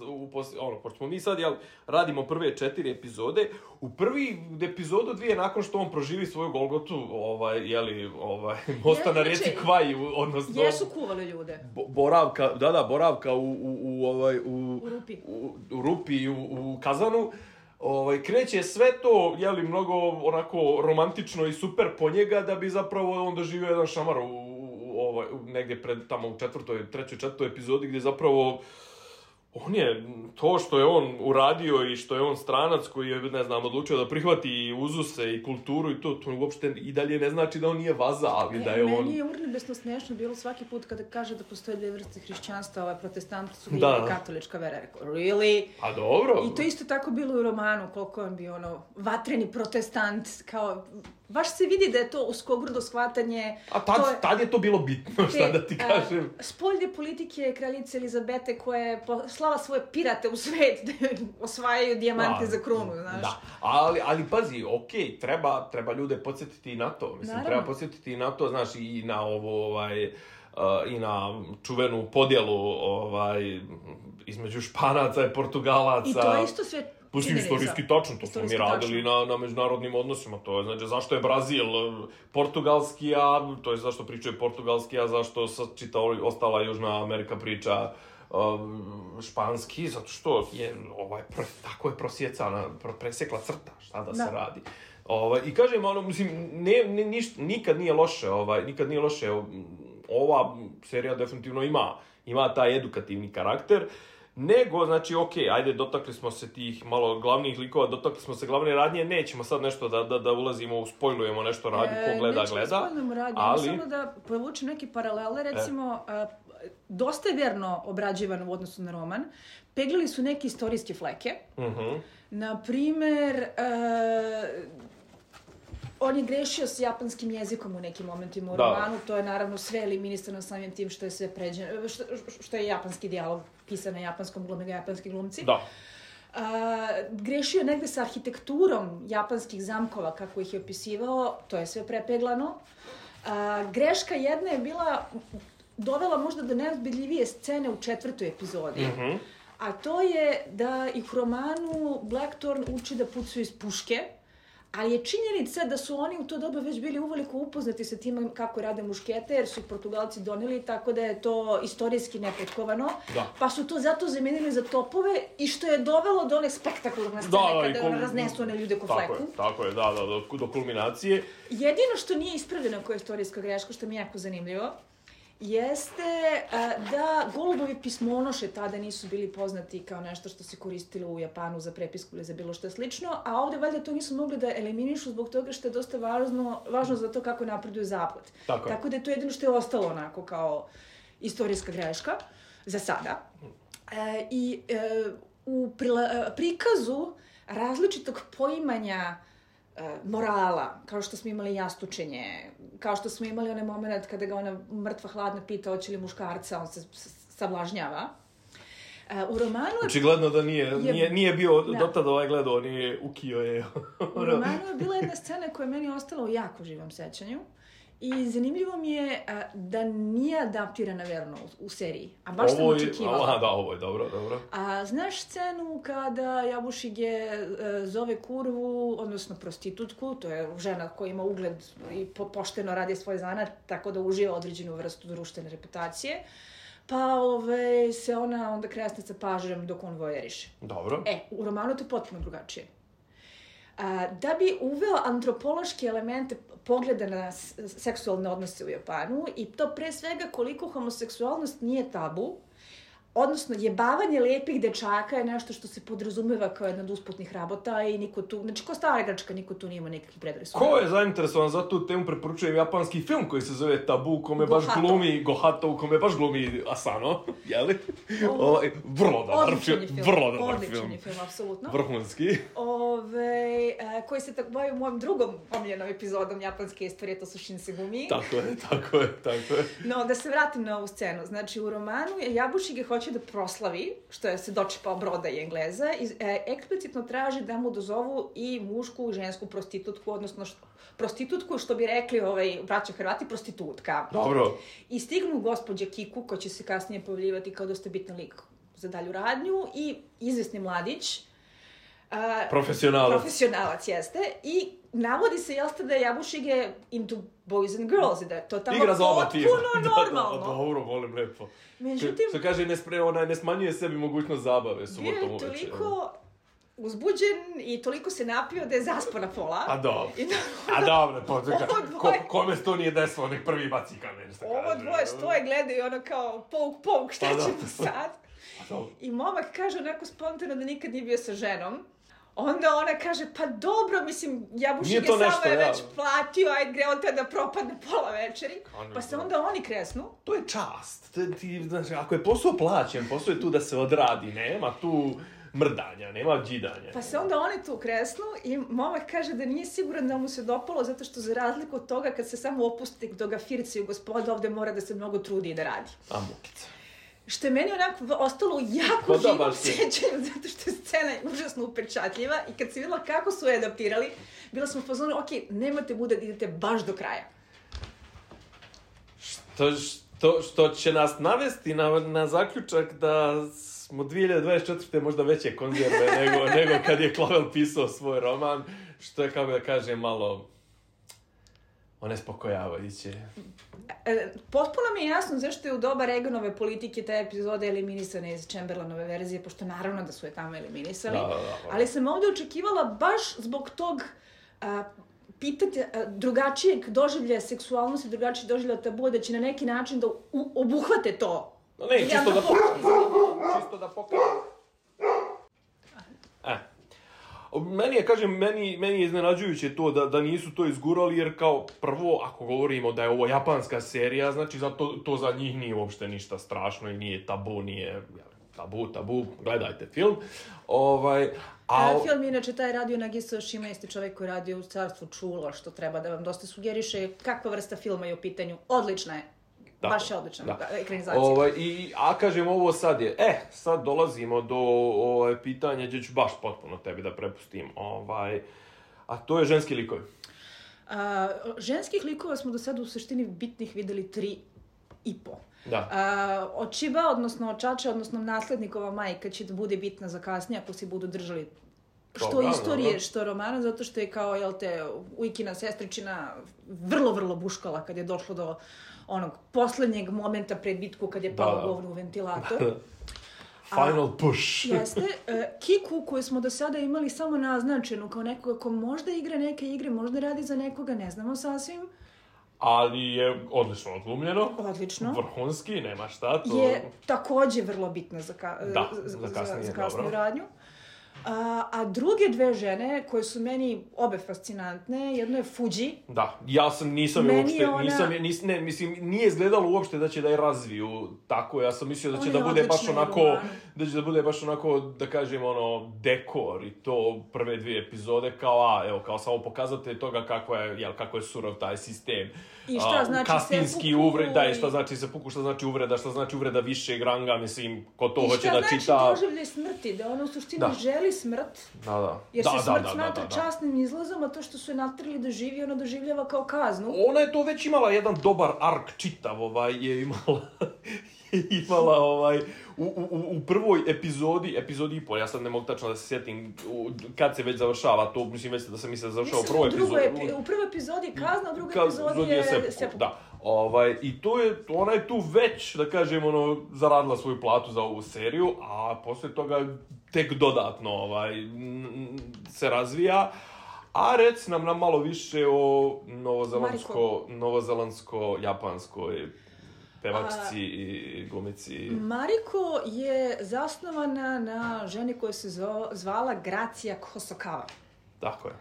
u posle, ono, pošto smo mi sad, jel, radimo prve četiri epizode, u prvi epizodu dvije nakon što on proživi svoju Golgotu, ovaj, jeli, ovaj, mosta ja, na reci Kvaj, odnosno... Jesu kuvali ljude. Bo, boravka, da, da, boravka u, u, u, ovaj, u, u Rupi, u, u, Rupi u, u Kazanu. Ovaj, kreće sve to, jeli, mnogo onako romantično i super po njega, da bi zapravo on doživio jedan šamar u, u, ovaj, negdje pred, tamo u četvrtoj, trećoj, četvrtoj epizodi, gdje zapravo on je, to što je on uradio i što je on stranac koji je, ne znam, odlučio da prihvati i uzuse i kulturu i to, to uopšte i dalje ne znači da on nije vaza, ali e, da je meni on... Meni je urnebesno smiješno bilo svaki put kada kaže da postoje dvije vrste hrišćanstva, ovaj protestanti su bili katolička vera. Rekao, really? A dobro. I to isto tako bilo u romanu, koliko on bio ono, vatreni protestant, kao... Baš se vidi da je to uskogrdo shvatanje... A tad, to je, tad je to bilo bitno, šta da ti kažem. A, spolje politike kraljice Elizabete koja je slala svoje pirate u svet da osvajaju dijamante da, za krunu, znaš. Da, ali, ali pazi, okej, okay, treba, treba ljude podsjetiti i na to. Mislim, Naravno. treba podsjetiti i na to, znaš, i na ovo, ovaj... Uh, i na čuvenu podjelu ovaj, između Španaca i Portugalaca. I to je isto sve Pusti istorijski tačno, to smo mi radili na, na međunarodnim odnosima, to je, znači, zašto je Brazil portugalski, a, to je zašto pričaju portugalski, a zašto čita ostala Južna Amerika priča um, španski, zato što je, ovaj, tako je prosjecana, presekla crta, šta da, da. se radi. Ovaj, i kažem, ono, mislim, ne, ne, niš, nikad nije loše, ovaj, nikad nije loše, ova serija definitivno ima, ima taj edukativni karakter, nego, znači, okej, okay, ajde, dotakli smo se tih malo glavnih likova, dotakli smo se glavne radnje, nećemo sad nešto da, da, da ulazimo, spojlujemo nešto radnje, ko gleda, e, gleda. Nećemo spojlujemo radnje, ali... samo da povučem neke paralele, recimo, e. dosta je verno obrađivan u odnosu na roman, peglili su neke istorijske fleke, uh-huh. Naprimer, e, on je grešio s japanskim jezikom u nekim momentima u romanu, to je naravno sve eliminisano samim tim što je sve pređeno, što, što je japanski dijalog pisan na japanskom, glume ga japanski glumci. Da. A, grešio je negde sa arhitekturom japanskih zamkova, kako ih je opisivao, to je sve prepeglano. A, greška jedna je bila, dovela možda do neozbiljljivije scene u četvrtoj epizodi, mm-hmm. a to je da ih u romanu Blackthorn uči da pucaju iz puške, ali je činjenica da su oni u to doba već bili uveliko upoznati sa tim kako rade muškete, jer su ih Portugalci doneli, tako da je to istorijski nepotkovano. Da. Pa su to zato zamenili za topove i što je dovelo do one spektakularne scene da, da, kada kul... raznesu one ljude ko fleku. Tako je, tako je, da, da, do, do kulminacije. Jedino što nije ispravljeno koja je istorijska greška, što mi je jako zanimljivo, jeste a, da golubovi pismonoše tada nisu bili poznati kao nešto što se koristilo u Japanu za prepisku ili za bilo što slično, a ovde valjda to nisu mogli da eliminišu zbog toga što je dosta važno, važno za to kako napreduje zapad. Tako, Tako da je to jedino što je ostalo onako kao istorijska greška za sada. E, I e, u prila, prikazu različitog poimanja morala, kao što smo imali jastučenje, kao što smo imali onaj moment kada ga ona mrtva hladna pita hoće li muškarca, on se sablažnjava. U romanu je... Očigledno da nije, je, nije, nije bio da. Dotad ovaj gledao, nije ukio je. U romanu je bila jedna scena koja je meni ostala u jako živom sećanju. I zanimljivo mi je a, da nije adaptirana verno u, u seriji, a baš ovo sam očekivala. Aha, da, ovo je dobro, dobro. A znaš scenu kada Jabušige e, zove kurvu, odnosno prostitutku, to je žena koja ima ugled i po, pošteno radi svoj zanat, tako da uživa određenu vrstu društvene reputacije, pa ove, se ona onda kresne sa pažnjom dok on vojeriše. Dobro. E, u romanu to je potpuno drugačije. A, da bi uveo antropološke elemente pogleda na seksualne odnose u Japanu i to pre svega koliko homoseksualnost nije tabu, odnosno jebavanje lepih dečaka je nešto što se podrazumeva kao jedna od usputnih rabota i niko tu, znači ko stara Grčka, niko tu nema nekakvih predrasuda. Ko je zainteresovan za tu temu, preporučujem japanski film koji se zove Tabu, u kome baš glumi Gohato, u kome baš glumi Asano, jeli? Ovaj, vrlo dobar film, vrlo dobar odličan film. je film, apsolutno. Vrhunski. Ove, koji se tako bavi mojom drugom omiljenom epizodom japanske istorije, to su Shinsegumi. Tako je, tako je, tako je. No, da se vratim na ovu scenu. Znači, u romanu je Jabušige hoće da proslavi, što je se dočepao broda i Engleza, i e, eksplicitno traži da mu dozovu i mušku i žensku prostitutku, odnosno što, prostitutku, što bi rekli ovaj, braća Hrvati, prostitutka. Dobro. I stignu gospođa Kiku, koja će se kasnije pojavljivati kao dosta bitan lik za dalju radnju, i izvesni mladić. A, profesionalac. Profesionalac jeste. I navodi se, jel ste, da je Jabušige into boys and girls, i da je to tamo igra za oba tima. Potpuno normalno. Da, da, dobro, volim lepo. Međutim, što kaže, ne, spre, ona ne smanjuje sebi mogućnost zabave subotom uveče. Bio je toliko uzbuđen i toliko se napio da je zaspao na pola. A dobro. A dobro, to je ko, kome se to nije desilo, nek prvi baci kamen. Ovo dvoje stoje, gledaju ono kao pouk, pouk, šta ćemo sad? I momak kaže onako spontano da nikad nije bio sa ženom. Onda ona kaže, pa dobro, mislim, Jabušige samo nešto, je već ja. platio, ajde gre on tada propadne pola večeri. Pa se onda oni kresnu. To je čast. Ti, znači, ako je posao plaćen, posao je tu da se odradi, nema tu mrdanja, nema džidanja. Pa se onda oni tu kresnu i momak kaže da nije siguran da mu se dopalo, zato što za razliku od toga kad se samo opusti do ga firciju gospoda, ovde mora da se mnogo trudi i da radi. A mukica. Što je meni onako ostalo jako pa živom sjećanju, zato što je scena užasno upečatljiva i kad si videla kako su je adaptirali, bila sam u fazonu, ok, nemate muda da idete baš do kraja. Što, što, što će nas navesti na, na zaključak da smo dvije hiljade dvadeset četvrte možda veće konzerve nego, nego kad je Clavel pisao svoj roman, što je, kako da kažem, malo onespokojavajuće. E, potpuno mi je jasno zašto je u doba Reaganove politike te epizode eliminisane iz Chamberlainove verzije, pošto naravno da su je tamo eliminisali. Da, da, da, ali sam ovdje očekivala baš zbog tog a, pitati a, drugačijeg doživljaja seksualnosti, drugačijeg doživljaja tabua, da će na neki način da u, obuhvate to. No ne, čisto da pokažem. Čisto da pokažem. E. Meni je, kažem, meni, meni je iznenađujuće to da, da nisu to izgurali, jer kao prvo, ako govorimo da je ovo japanska serija, znači zato, to za njih nije uopšte ništa strašno i nije tabu, nije tabu, tabu, gledajte film. Ovaj, a... a film, inače, taj radio Nagisa Oshima, isti čovjek koji radio u Carstvu čula, što treba da vam dosta sugeriše kakva vrsta filma je u pitanju. Odlična je. Da, baš je odlična da. Ekranizacija. Ovaj, i, a kažem, ovo sad je, e, sad dolazimo do ovaj, pitanja gdje ću baš potpuno tebi da prepustim, ovaj, a to je ženski likovi. A, ženskih likova smo do sada u suštini bitnih videli tri i po. Da. A, očiba, odnosno očača, odnosno naslednikova majka će da bude bitna za kasnije ako se budu držali što Dobre, istorije, no. što romana, zato što je kao, jel te, Ujkina sestričina vrlo, vrlo buškala kad je došlo do onog poslednjeg momenta pred bitku kad je pao govno u ventilator. Final A, push. Jeste. E, Kiku, koju smo do sada imali samo naznačenu kao nekoga ko možda igra neke igre, možda radi za nekoga, ne znamo sasvim. Ali je odlično odglumljeno. Odlično. Vrhunski, nema šta. To... Je takođe vrlo bitna za, ka, da, za, za, kasnije, za, za kasniju radnju. A, a druge dve žene koje su meni obe fascinantne, jedno je Fuji. Da, ja sam nisam je uopšte, ona... nisam je, nis, ne, mislim, nije izgledalo uopšte da će da je razviju tako, ja sam mislio da će da bude baš onako, roman. da će da bude baš onako, da kažem, ono, dekor i to prve dvije epizode, kao, a, evo, kao samo pokazatelj toga kako je, jel, kako je surov taj sistem. I šta a, znači kastinski uvreda, da, i šta znači sepuku, šta znači uvreda, šta znači uvreda višeg ranga, mislim, ko to hoće da čita. I šta znači doživljaj smrti, da ono u suštini da. želi smrt, da, da. jer da, se da, smrt da, smatra da, da, časnim izlazom, a to što su je natrili da živi, ona doživljava kao kaznu. Ona je to već imala jedan dobar ark čitav, ovaj, je imala, je imala ovaj, u, u, u prvoj epizodi, epizodi i pol, ja sad ne mogu tačno da se sjetim u, kad se već završava, to mislim već da sam mislila da završava u prvoj epizodi. Epi, u prvoj epizodi je kazna, u drugoj epizodi je, je sepuku. Da. Ovaj, i to je, ona je tu već, da kažem, ono, zaradila svoju platu za ovu seriju, a posle toga tek dodatno ovaj, se razvija. A reci nam, nam malo više o novozelandsko, novozelandsko-japanskoj pevačici a, i glumici. Mariko je zasnovana na ženi koja se zvala Gracia Hosokawa. Tako je.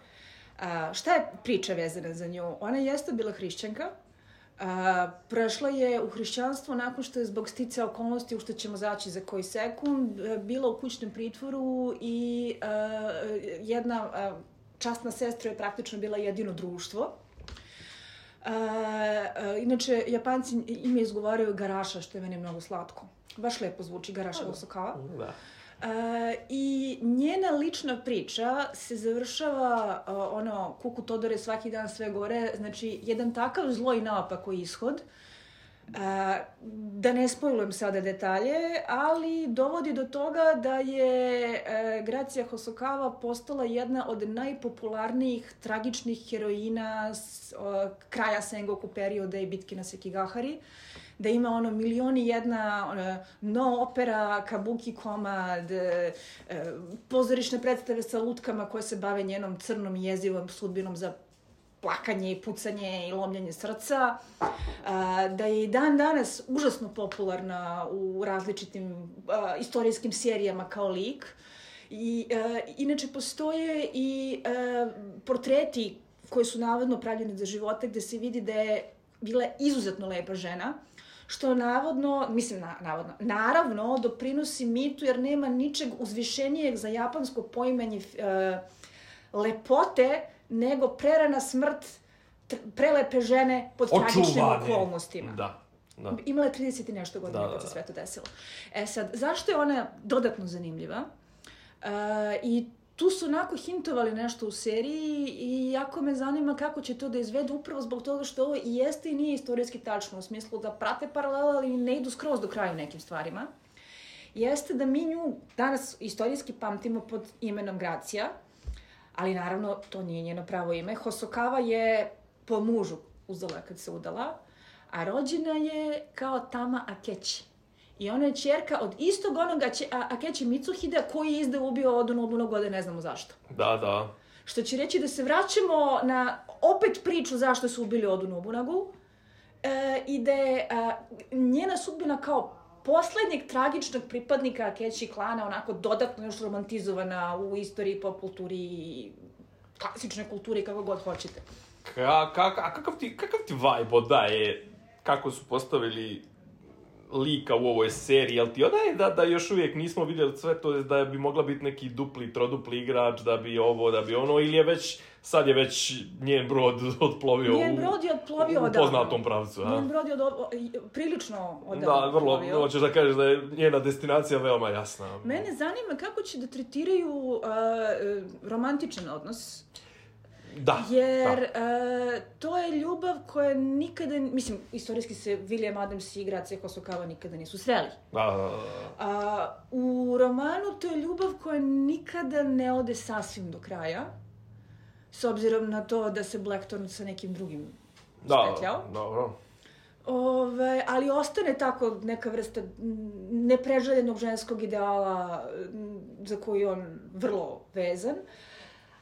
A, šta je priča vezana za nju? Ona jeste bila hrišćanka. A, prešla je u hrišćanstvo nakon što je zbog sticaja okolnosti, u što ćemo zaći za koji sekund, bila u kućnom pritvoru i a, jedna a, časna sestra je praktično bila jedino društvo. A, a, inače, Japanci ime izgovaraju Garaša, što je meni mnogo slatko. Baš lepo zvuči, Garaša Hosokawa. Da. Uh, I njena lična priča se završava, uh, ono, kuku Todore svaki dan sve gore, znači jedan takav zlo i naopako ishod, uh, da ne spojlujem sada detalje, ali dovodi do toga da je uh, Gracia Hosokawa postala jedna od najpopularnijih tragičnih heroina s, uh, kraja Sengoku perioda i bitke na Sekigahari, da ima ono milioni jedna ono, no opera, kabuki komad, e, pozorišne predstave sa lutkama koje se bave njenom crnom i jezivom sudbinom za plakanje i pucanje i lomljenje srca, a, da je i dan danas užasno popularna u različitim a, istorijskim serijama kao lik. I, a, inače postoje i a, portreti koji su navodno pravljeni za života gde se vidi da je bila izuzetno lepa žena, što navodno, mislim na, navodno, naravno doprinosi mitu jer nema ničeg uzvišenijeg za japansko poimanje e, lepote nego prerana smrt tr, prelepe žene pod tragičnim okolnostima. Da, da. Imala je trideset i nešto godina kad se sve to desilo. E sad, zašto je ona dodatno zanimljiva? E, I tu su onako hintovali nešto u seriji i jako me zanima kako će to da izvedu upravo zbog toga što ovo i jeste i nije istorijski tačno u smislu da prate paralele, ali ne idu skroz do kraja u nekim stvarima. jeste da mi nju danas istorijski pamtimo pod imenom Gracija, ali naravno to nije njeno pravo ime. Hosokawa je po mužu uzela kad se udala, a rođena je kao Tama Akechi. I ona je ćerka od istog onoga Akechi Mitsuhide koji je izdao ubio Odu Nobunagu, da ne znamo zašto. Da, da. Što će reći da se vraćamo na opet priču zašto su ubili Odu Nobunagu e, i da je a, njena sudbina kao poslednjeg tragičnog pripadnika Akechi klana onako dodatno još romantizovana u istoriji, pop kulturi i klasičnoj kulturi, kako god hoćete. Ka, ka, a kakav ti, kakav ti vibe odaje kako su postavili lika u ovoj seriji, jel ti odaje da, da još uvijek nismo vidjeli sve to, da bi mogla biti neki dupli, trodupli igrač, da bi ovo, da bi ono, ili je već, sad je već njen brod otplovio njen brod je otplovio u, u poznatom pravcu. Njen brod je od, prilično odavno. Da, vrlo, hoćeš da kažeš da je njena destinacija veoma jasna. Mene zanima kako će da tretiraju uh, romantičan odnos. Da, jer da. Uh, to je ljubav koja nikada, mislim, istorijski se William Adams i Gracija Hosokawa nikada nisu sreli. Da, da, da. Uh, u romanu to je ljubav koja nikada ne ode sasvim do kraja, s obzirom na to da se Blackthorn sa nekim drugim spetljao. Da, dobro. Ove, ali ostane tako neka vrsta nepreželjenog ženskog ideala za koji on vrlo vezan.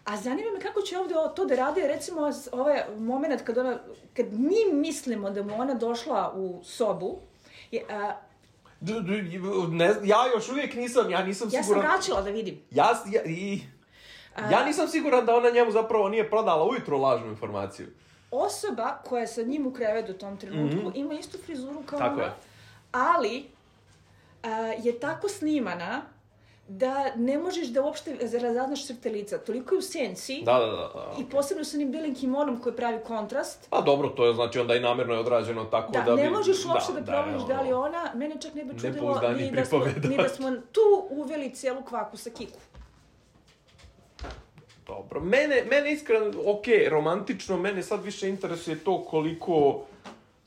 A zanima me kako će ovdje to da radi, recimo ovaj moment kad, ona, kad mi mislimo da mu ona došla u sobu. Je, a, d, d, ne, ja još uvijek nisam, ja nisam ja siguran... Ja sam vraćala da vidim. Ja, ja, i, ja nisam siguran da ona njemu zapravo nije prodala ujutro lažnu informaciju. Osoba koja je sa njim u krevetu u tom trenutku mm-hmm. ima istu frizuru kao tako ona, je. Ali a, je tako snimana da ne možeš da uopšte razaznaš crte lica. Toliko je u senci. Da, da, da, da. I posebno sa onim belim kimonom koji pravi kontrast. Pa dobro, to je znači onda i namjerno je odrađeno tako da, da bi... Da, ne možeš uopšte da, da proveriš da, da li ona... Mene čak ne bi čudilo ni da, smo, ni da smo tu uveli cijelu kvaku sa Kiku. Dobro, mene, mene iskreno, okej, okay, romantično, mene sad više interesuje to koliko...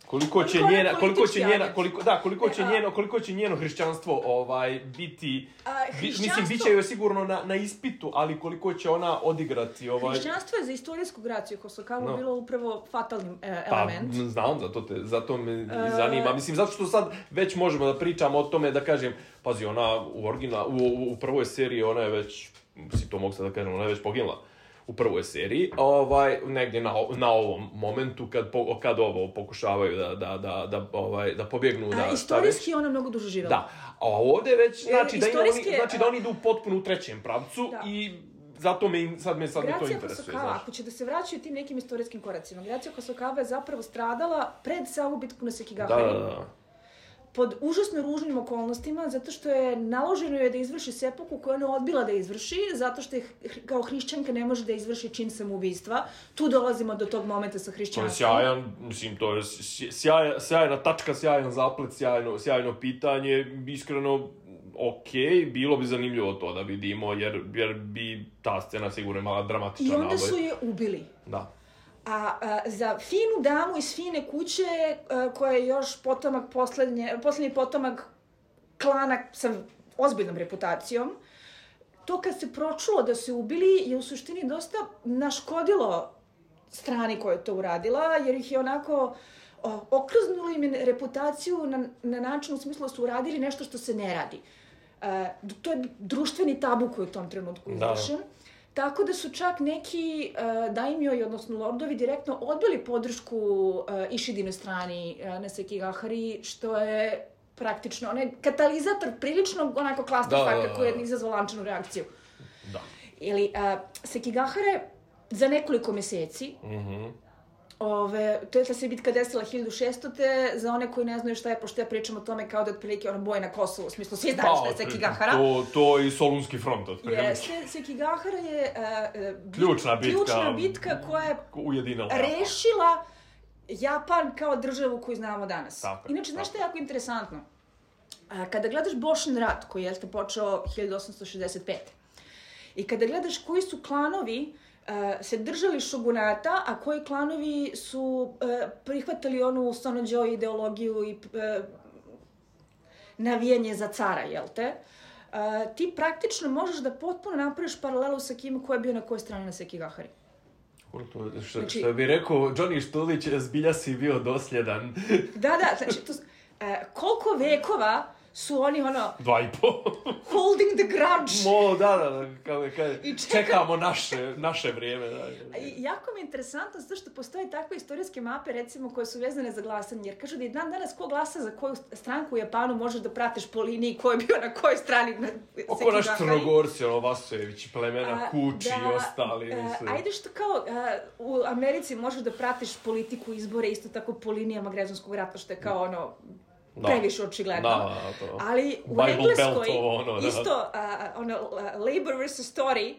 Koliko će njena, koliko će njena, koliko, da, koliko će njeno, koliko će njeno hrišćanstvo ovaj biti, a, hrišćanstvo... mislim, bit će joj sigurno na, na ispitu, ali koliko će ona odigrati ovaj... Hrišćanstvo je za istorijsku Graciju Hosokawa no. bilo upravo fatalni e, pa, element. Pa, znam, zato, te, zato me uh... zanima. Mislim, zato što sad već možemo da pričamo o tome, da kažem, pazi, ona u, origina, u, u, u prvoj seriji, ona je već, si to mogu sad da kažem, ona je već poginula. U prvoj seriji, ovaj, negdje na, na ovom momentu kad, po, kad ovo pokušavaju da, da, da, da, ovaj, da pobjegnu. Da, a istorijski je ona mnogo duže živjela. Da, a ovdje već, znači, da, oni, znači da oni idu potpuno u trećem pravcu da. I zato me, sad me, sad me to interesuje. Gracija Hosokawa, ako će da se vraćaju tim nekim istorijskim koracima, Gracija Hosokawa je zapravo stradala pred samu bitku na Sekigahari. Da, da, da. Pod užasno ružnim okolnostima, zato što je naloženo je da izvrši sepuku koju ona odbila da izvrši, zato što je kao hrišćanka ne može da izvrši čin samoubistva. Tu dolazimo do tog momenta sa hrišćanstvom. To je sjajan, mislim, to je sjaj, sjajna tačka, sjajan zaplet, sjajno, sjajno pitanje, iskreno, okej, okay, bilo bi zanimljivo to da vidimo, jer, jer bi ta scena sigurno imala dramatičan naboj. I onda su je ubili. Da. A, a za finu damu iz fine kuće, a, koja je još potomak poslednje, poslednji potomak klana sa ozbiljnom reputacijom, to kad se pročulo da se ubili je u suštini dosta naškodilo strani koja je to uradila, jer ih je onako o, okrznulo im reputaciju na, na način u smislu da su uradili nešto što se ne radi. A, to je društveni tabu koji je u tom trenutku izvršen. Da. Tako da su čak neki uh, daimjoi, odnosno lordovi, direktno odbili podršku uh, Ishidinoj strani uh, na Sekigahari, što je praktično onaj katalizator prilično onako clusterfucka koji je izazvao lančanu reakciju. Da. Ili uh, Sekigahara za nekoliko mjeseci, mm-hmm. Ove, to je ta se bitka desila hiljadu šeststote za one koji ne znaju šta je, pošto ja pričam o tome kao da je otprilike ono boj na Kosovu, u smislu svi znaju šta je Sekigahara. To, to i Solunski front otprilike. Jeste, Sekigahara je uh, bit, ključna bitka, ključna bitka koja je ujedinila rešila Japan kao državu koju znamo danas. Tako, inače, znaš što je jako interesantno? Uh, kada gledaš Boshin rat, koji je počeo hiljadu osamsto šezdeset pete. I kada gledaš koji su klanovi Uh, se držali šogunata, a koji klanovi su uh, prihvatali onu Sonođo ideologiju i uh, navijanje za cara, jel te? Uh, ti praktično možeš da potpuno napraviš paralelu sa kim ko je bio na kojoj strani na Sekigahari. To, što, znači, što bi rekao Johnny Štulić, zbilja si bio dosljedan. Da, da, znači, to, uh, koliko vekova su oni ono... Dva i po. Holding the grudge. Mo, da, da, da, kao, kao, čekamo naše, naše vrijeme. Da, da. I jako mi je interesantno zato što postoje takve istorijske mape, recimo, koje su vezane za glasanje. Jer kažu da i dan danas ko glasa za koju stranku u Japanu možeš da pratiš po liniji ko je bio na kojoj strani. Oko naš Crnogorci, ono, Vasojević, plemena, a, Kuči da, i ostali. A, ajde što kao a, u Americi možeš da pratiš politiku izbore isto tako po linijama građanskog rata, što je kao ono... Da. Previše očigledno. Da, to. Ali u Bible Engleskoj Belt, ono, da. isto uh, ono, uh, Labour versus Tory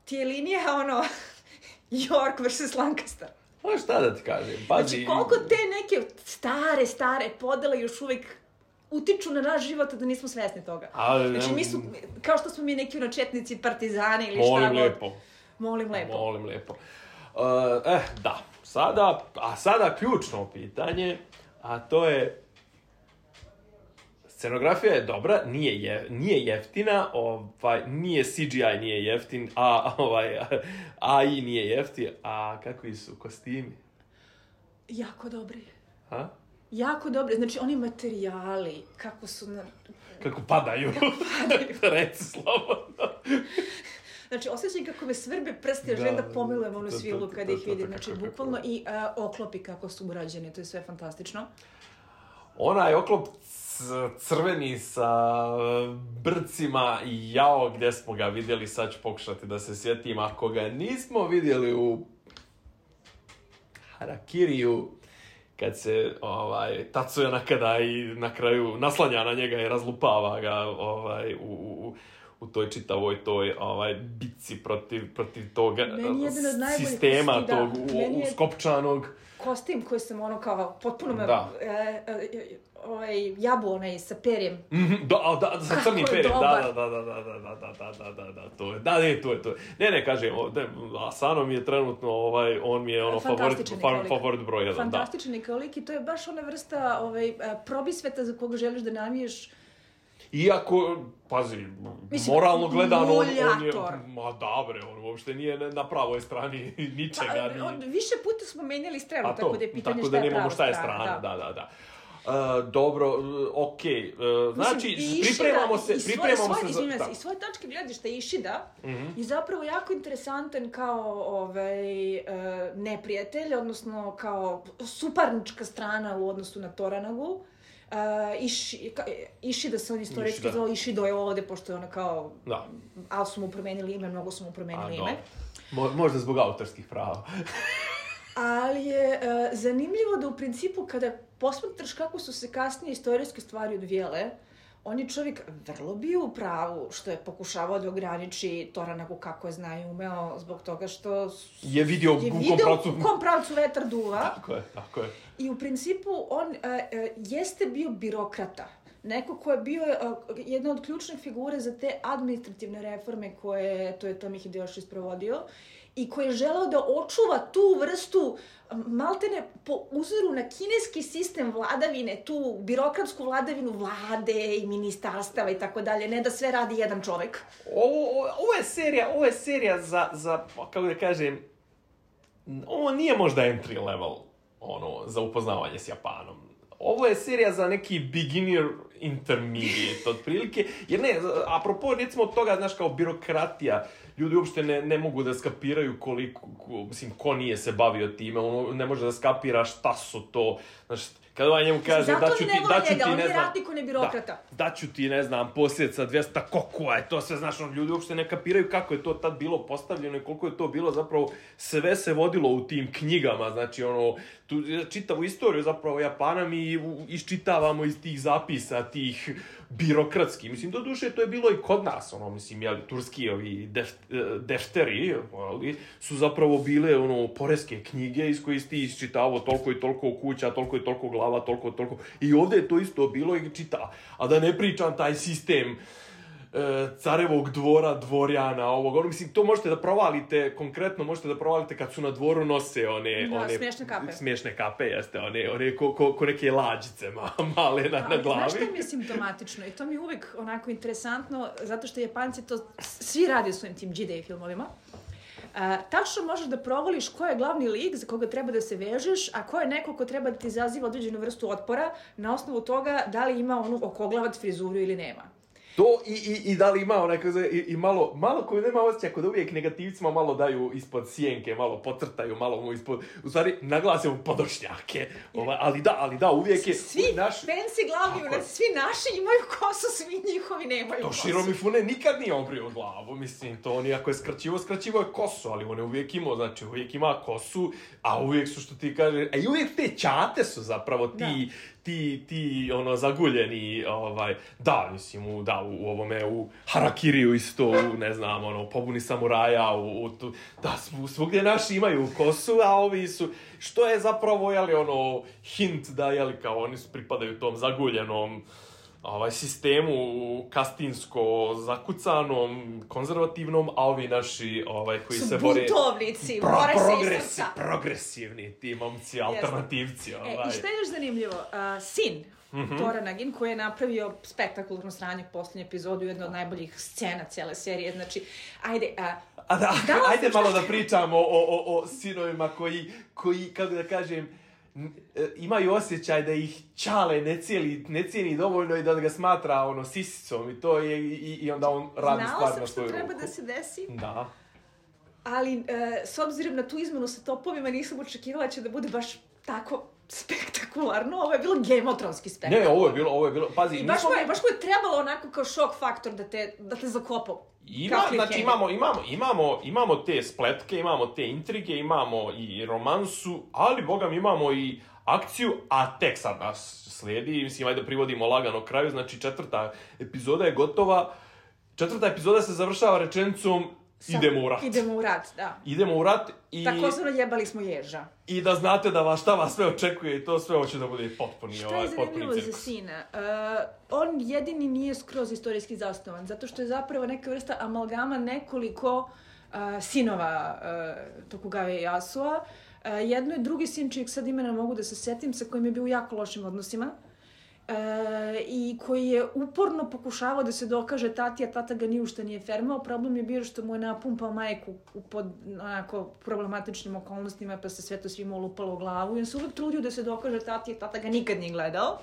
ti je linija ono York versus Lancaster. Pa šta da ti kažem? Pazi... Znači koliko te neke stare, stare podele još uvijek utiču na naš život da nismo svesni toga. Ali, znači mi su, kao što smo mi neki ono četnici, partizani ili molim šta god. Lijepo. Molim lijepo. Molim lijepo. Uh, eh, da. Sada, a sada ključno pitanje, a to je scenografija je dobra, nije, je, nije jeftina, ovaj, nije C G I nije jeftin, a ovaj, A I nije jeftin, a kakvi su kostimi? Jako dobri. Ha? Jako dobri, znači oni materijali, kako su na... Kako padaju. Kako padaju. Reci slobodno. Znači, osjećam kako me svrbe prsti, ja želim da pomilujem onu svilu kada ih vidim. Znači, bukvalno i uh, oklopi kako su urađeni, to je sve fantastično. Onaj oklop crveni sa brcima i jao gdje smo ga vidjeli, sad ću pokušati da se sjetim, ako ga nismo vidjeli u Harakiriju, kad se ovaj, Tatsuya Nakada i na kraju naslanja na njega i razlupava ga ovaj, u, u, u toj čitavoj toj ovaj, bitci protiv, protiv tog sistema, da, tog u, uskopčanog. Kostim koji sam ono kao potpuno me... Da. E, e, ovaj, jabu onaj sa perjem. Mm-hmm, da, da, sa crnim perjem, da, da, da, da, da, da, da, da, da, da, to je, da, ne, to je, to je. Ne, ne, kažem, Asano mi je trenutno, ovaj, on mi je ono favorit, favorit broj jedan, da. Fantastičan kao lik i to je baš ona vrsta ovaj, probisveta za koga želiš da namiješ. Iako, pazi, mislim, moralno gledano, on, on je, ma dobre, on uopšte nije na pravoj strani ničega. Pa, on, više puta smo menjali stranu, to, tako da je pitanje šta je prava strana. Tako da nemamo šta je strana, da, da, da. Uh, dobro, uh, okej. Okay. Uh, znači, mislim, pripremamo se, Ishida, pripremamo svoje, se za... za... I svoje tačke gledišta Ishida mm-hmm. je zapravo jako interesantan kao ovaj, uh, neprijatelj, odnosno kao suparnička strana u odnosu na Toranagu. Uh, Ishi, ka, Ishida se on istorijski zvao, Ishido je ovde, pošto je ona kao... Da. Ali su mu promenili ime, mnogo su mu promenili A, ime. Mo, možda zbog autorskih prava. Ali je uh, zanimljivo da u principu kada posmatraš kako su se kasnije istorijske stvari odvijele, on je čovjek vrlo bio u pravu što je pokušavao da ograniči Toranagu kako je zna i umeo zbog toga što je vidio je u video kom pravcu... u kom pravcu vetar duva. Tako je, tako je. I u principu on uh, uh, jeste bio birokrata. Neko ko je bio uh, jedna od ključnih figure za te administrativne reforme koje to je Tomi Hideyoshi sprovodio i koji je želeo da očuva tu vrstu, maltene po uzoru na kineski sistem vladavine, tu birokratsku vladavinu vlade i ministarstava i tako dalje, ne da sve radi jedan čovjek. Ovo, ovo je serija, ovo je serija za, za, kako da kažem, ovo nije možda entry level, ono, za upoznavanje s Japanom. Ovo je serija za neki beginner intermediate, otprilike, jer ne, apropo, recimo toga, znaš, kao birokratija, ljudi uopšte ne, ne mogu da skapiraju koliko, ko, mislim, ko nije se bavio time, ono, ne može da skapira šta su to, znaš, kada ovaj njemu kaže, da ću ti, da ću ti, ne znam, da, da ću ti, ne znam, posjeca dvjesto kokua je to sve, znaš, on, ljudi uopšte ne kapiraju kako je to tad bilo postavljeno i koliko je to bilo, zapravo, sve se vodilo u tim knjigama, znači, ono, tu, čitavu istoriju, zapravo, Japana mi iščitavamo iz tih zapisa, tih birokratskih, mislim, do duše to je bilo i kod nas, ono, mislim, jel, turski ovi def, defteri, ali, su zapravo bile, ono, poreske knjige iz koji ti iščitavao toliko i toliko kuća, toliko i toliko glava, toliko i toliko, i ovdje je to isto bilo i čita, a da ne pričam taj sistem carevog dvora, dvorjana, ovog, ono, mislim, to možete da provalite, konkretno možete da provalite kad su na dvoru nose one... Da, one smiješne kape. Smiješne kape, jeste, one, one ko, ko, ko neke lađice male na, na glavi. Znaš što mi je simptomatično? I to mi je uvijek onako interesantno, zato što Japanci to svi radi u svojim tim G-Day filmovima. Uh, tačno možeš da provališ ko je glavni lik za koga treba da se vežeš, a ko je neko ko treba da ti izaziva određenu vrstu otpora na osnovu toga da li ima onu okoglavac frizuru ili nema. To i, i, i da li ima onako, i, i malo, malo koju nema osjećaj, ako da uvijek negativcima malo daju ispod sjenke, malo pocrtaju, malo mu ispod, u stvari naglase mu podočnjake, ovaj, ali da, ali da, uvijek je... Svi naš... fancy glavni, svi naši imaju kosu, svi njihovi nemaju to kosu. To Shiro Mifune nikad nije obrio glavu, mislim, to on iako je skraćivo, skraćivo je kosu, ali on je uvijek imao, znači uvijek ima kosu, a uvijek su što ti kaže, a i uvijek te ćate su zapravo ti... Da. ti, ti, ono, zaguljeni, ovaj, da, mislim, u, da, u, u ovome, u Harakiriju isto, u, ne znam, ono, pobuni samuraja, u, u tu, da, svugdje naši imaju kosu, a ovi su, što je zapravo, jeli, ono, hint da, jeli, kao oni su pripadaju tom zaguljenom, ovaj, sistemu kastinsko zakucanom, konzervativnom, a ovi naši, ovaj, koji su se bore... buntovnici, pro, bore progresi, se iz srca. Progresivni ti momci, alternativci, ovaj. E, i što je još zanimljivo? Uh, sin mm-hmm. Tora Nagin, koji je napravio spektakularno sranje u posljednju epizodu, jedna od najboljih scena cijele serije, znači, ajde... Uh, a da, ajde malo da pričamo o, o, o sinovima koji, koji, kako da kažem, imaju osjećaj da ih čale ne cijeli, ne cijeni dovoljno i da ga smatra ono sisicom i to je i, i onda on radi stvar na svoju ruku. Znala sam što treba da se desi. Da. Ali e, s obzirom na tu izmenu sa topovima nisam očekivala će da bude baš tako spektakularno. Ovo je bilo gemotronski spektakularno. Ne, ovo je bilo, ovo je bilo, pazi. I baš mu je, baš mu je trebalo onako kao šok faktor da te, da te zakopao. Ima, znači imamo, imamo, imamo, imamo te spletke, imamo te intrige, imamo i romansu, ali bogam imamo i akciju, a tek sad nas slijedi, mislim, ajde da privodimo lagano kraju, znači četvrta epizoda je gotova, četvrta epizoda se završava rečenicom idemo u rat. Idemo u rat, da. Idemo u rat i... Takozvano jebali smo ježa. I da znate da vas šta vas sve očekuje i to sve hoće da bude potpuni, šta ovaj, potpuni cirkus. Šta je zanimljivo za sina? Uh, on jedini nije skroz istorijski zasnovan, zato što je zapravo neka vrsta amalgama nekoliko uh, sinova uh, Tokugave Yasua. Uh, jedno je drugi sin, čijeg sad imena mogu da se setim, sa kojim je bio u jako lošim odnosima. E, i koji je uporno pokušavao da se dokaže tati, a tata ga ni ušta nije fermao. Problem je bio što mu je napumpao majku u pod onako problematičnim okolnostima, pa se sve to svima ulupalo u glavu i on se uvijek trudio da se dokaže tati, a tata ga nikad nije gledao.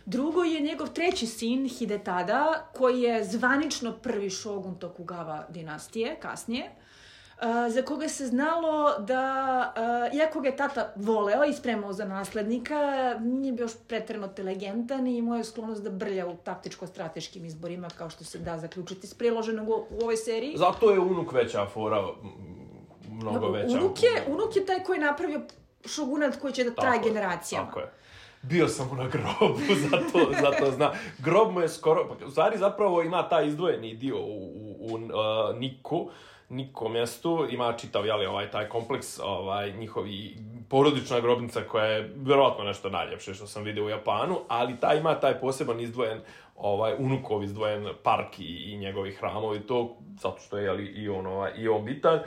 Drugo je njegov treći sin, Hidetada, koji je zvanično prvi šogun Tokugawa dinastije, kasnije. Uh, za koga se znalo da, uh, iako ga je tata voleo i spremao za naslednika, nije bio još pretjerano inteligentan i imao je sklonost da brlja u taktičko-strateškim izborima, kao što se da zaključiti s priloženog u, u ovoj seriji. Zato je unuk veća fora, mnogo no, veća. Unuk je, unuk je taj koji je napravio šogunat koji će da traje generacijama. Tako je. Bio sam mu na grobu, zato, zato zna. Grob mu je skoro, u stvari zapravo ima taj izdvojeni dio u, u, u uh, Niku, Niko mjestu, ima čitav, jeli, ovaj, taj kompleks, ovaj, njihovi porodična grobnica koja je vjerojatno nešto najljepše što sam vidio u Japanu, ali taj ima taj poseban izdvojen, ovaj, unukov izdvojen park i, i njegovi hramovi, to, zato što je, jeli, i on, ovaj, i on bitan.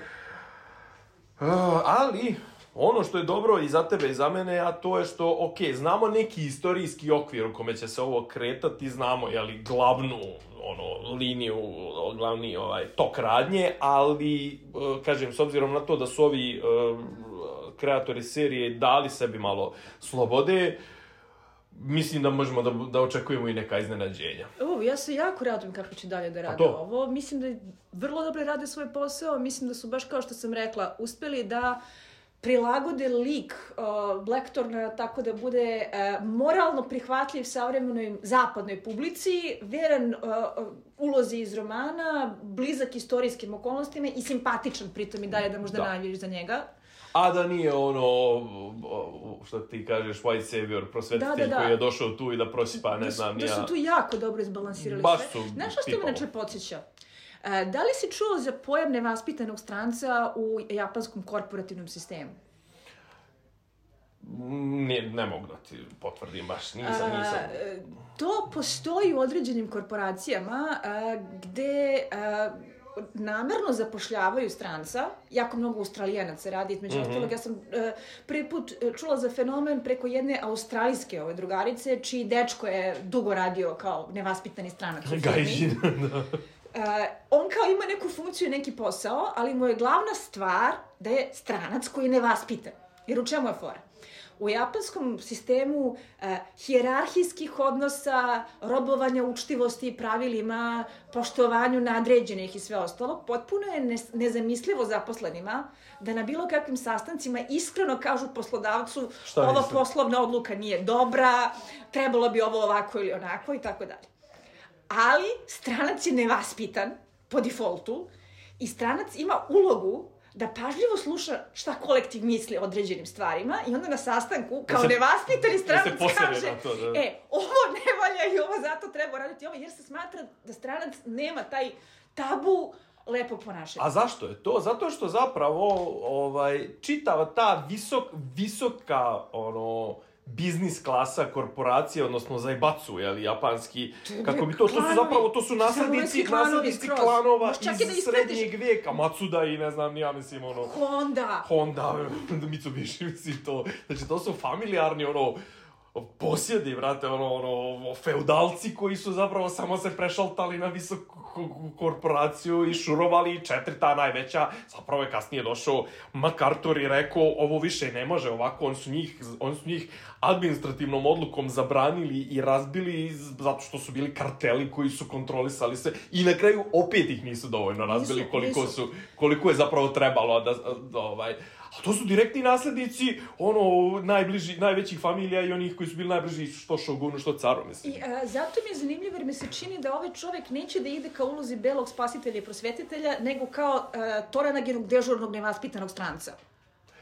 Uh, ali, ono što je dobro i za tebe i za mene, a to je što, ok, znamo neki istorijski okvir u kome će se ovo kretati, znamo, jeli, glavnu, ono, liniju, glavni ovaj, tok radnje, ali, kažem, s obzirom na to da su ovi uh, kreatori serije dali sebi malo slobode, mislim da možemo da, da očekujemo i neka iznenađenja. O, ja se jako radujem kako će dalje da rade ovo. Mislim da vrlo dobro rade svoj posao, mislim da su, baš kao što sam rekla, uspeli da prilagode lik uh, Blackthorna tako da bude uh, moralno prihvatljiv savremenoj zapadnoj publici, veran uh, ulozi iz romana, blizak istorijskim okolnostima i simpatičan pritom i dalje da možda navijaš za njega. A da nije ono, što ti kažeš, white savior, prosvetitelj da, da, da. koji je došao tu i da prosipa, ne da, znam, da ja... su tu jako dobro izbalansirali baš sve. Su znaš što me inače podsjeća? Da li si čuo za pojam nevaspitanog stranca u japanskom korporativnom sistemu? Ne, ne mogu da ti potvrdim baš, nisam, nisam. A, to postoji u određenim korporacijama a, gde a, namerno zapošljavaju stranca, jako mnogo Australijanaca radi, između mm-hmm. ostalog, ja sam a, prvi put čula za fenomen preko jedne australijske ove drugarice, čiji dečko je dugo radio kao nevaspitani stranac u firmi. Gajžin, da. Uh, on kao ima neku funkciju i neki posao, ali mu je glavna stvar da je stranac koji je nevaspitan. Jer u čemu je fora? U japanskom sistemu uh, hijerarhijskih odnosa, robovanja učtivosti i pravilima, poštovanju nadređenih i sve ostalo, potpuno je ne, nezamislivo zaposlenima da na bilo kakvim sastancima iskreno kažu poslodavcu šta ova nisam? Poslovna odluka nije dobra, trebalo bi ovo ovako ili onako i tako dalje. Ali stranac je nevaspitan po defaultu i stranac ima ulogu da pažljivo sluša šta kolektiv misli o određenim stvarima i onda na sastanku, kao se, nevaspitani stranac kaže to, da. E, ovo ne valja i ovo zato treba raditi ovo, jer se smatra da stranac nema taj tabu lepo ponašanja. A zašto je to? Zato što zapravo ovaj, čitava ta visok, visoka ono, biznis klasa korporacije, odnosno zajbacu, jel, japanski, kako bi to, to su zapravo, to su naslednici, naslednici klanova iz srednjeg vijeka, Matsuda i ne znam, ja mislim, ono... Honda! Honda, Mitsubishi, mislim, to, znači, to su familijarni, ono, posjedi, brate, ono, ono, feudalci koji su zapravo samo se prešaltali na visoku korporaciju i šurovali, četiri ta najveća, zapravo je kasnije došao MacArthur i rekao, ovo više ne može ovako, on su njih, on su njih administrativnom odlukom zabranili i razbili zato što su bili karteli koji su kontrolisali sve i na kraju opet ih nisu dovoljno razbili nisu, koliko nisu. su, koliko je zapravo trebalo da, da ovaj, a to su direktni naslednici, ono, najbliži, najvećih familija i onih koji su bili najbliži što šogunu, što caru, mislim. I a, zato mi je zanimljivo jer mi se čini da ovaj čovjek neće da ide kao ulozi belog spasitelja i prosvetitelja, nego kao a, toranagenog, dežurnog, nevaspitanog stranca.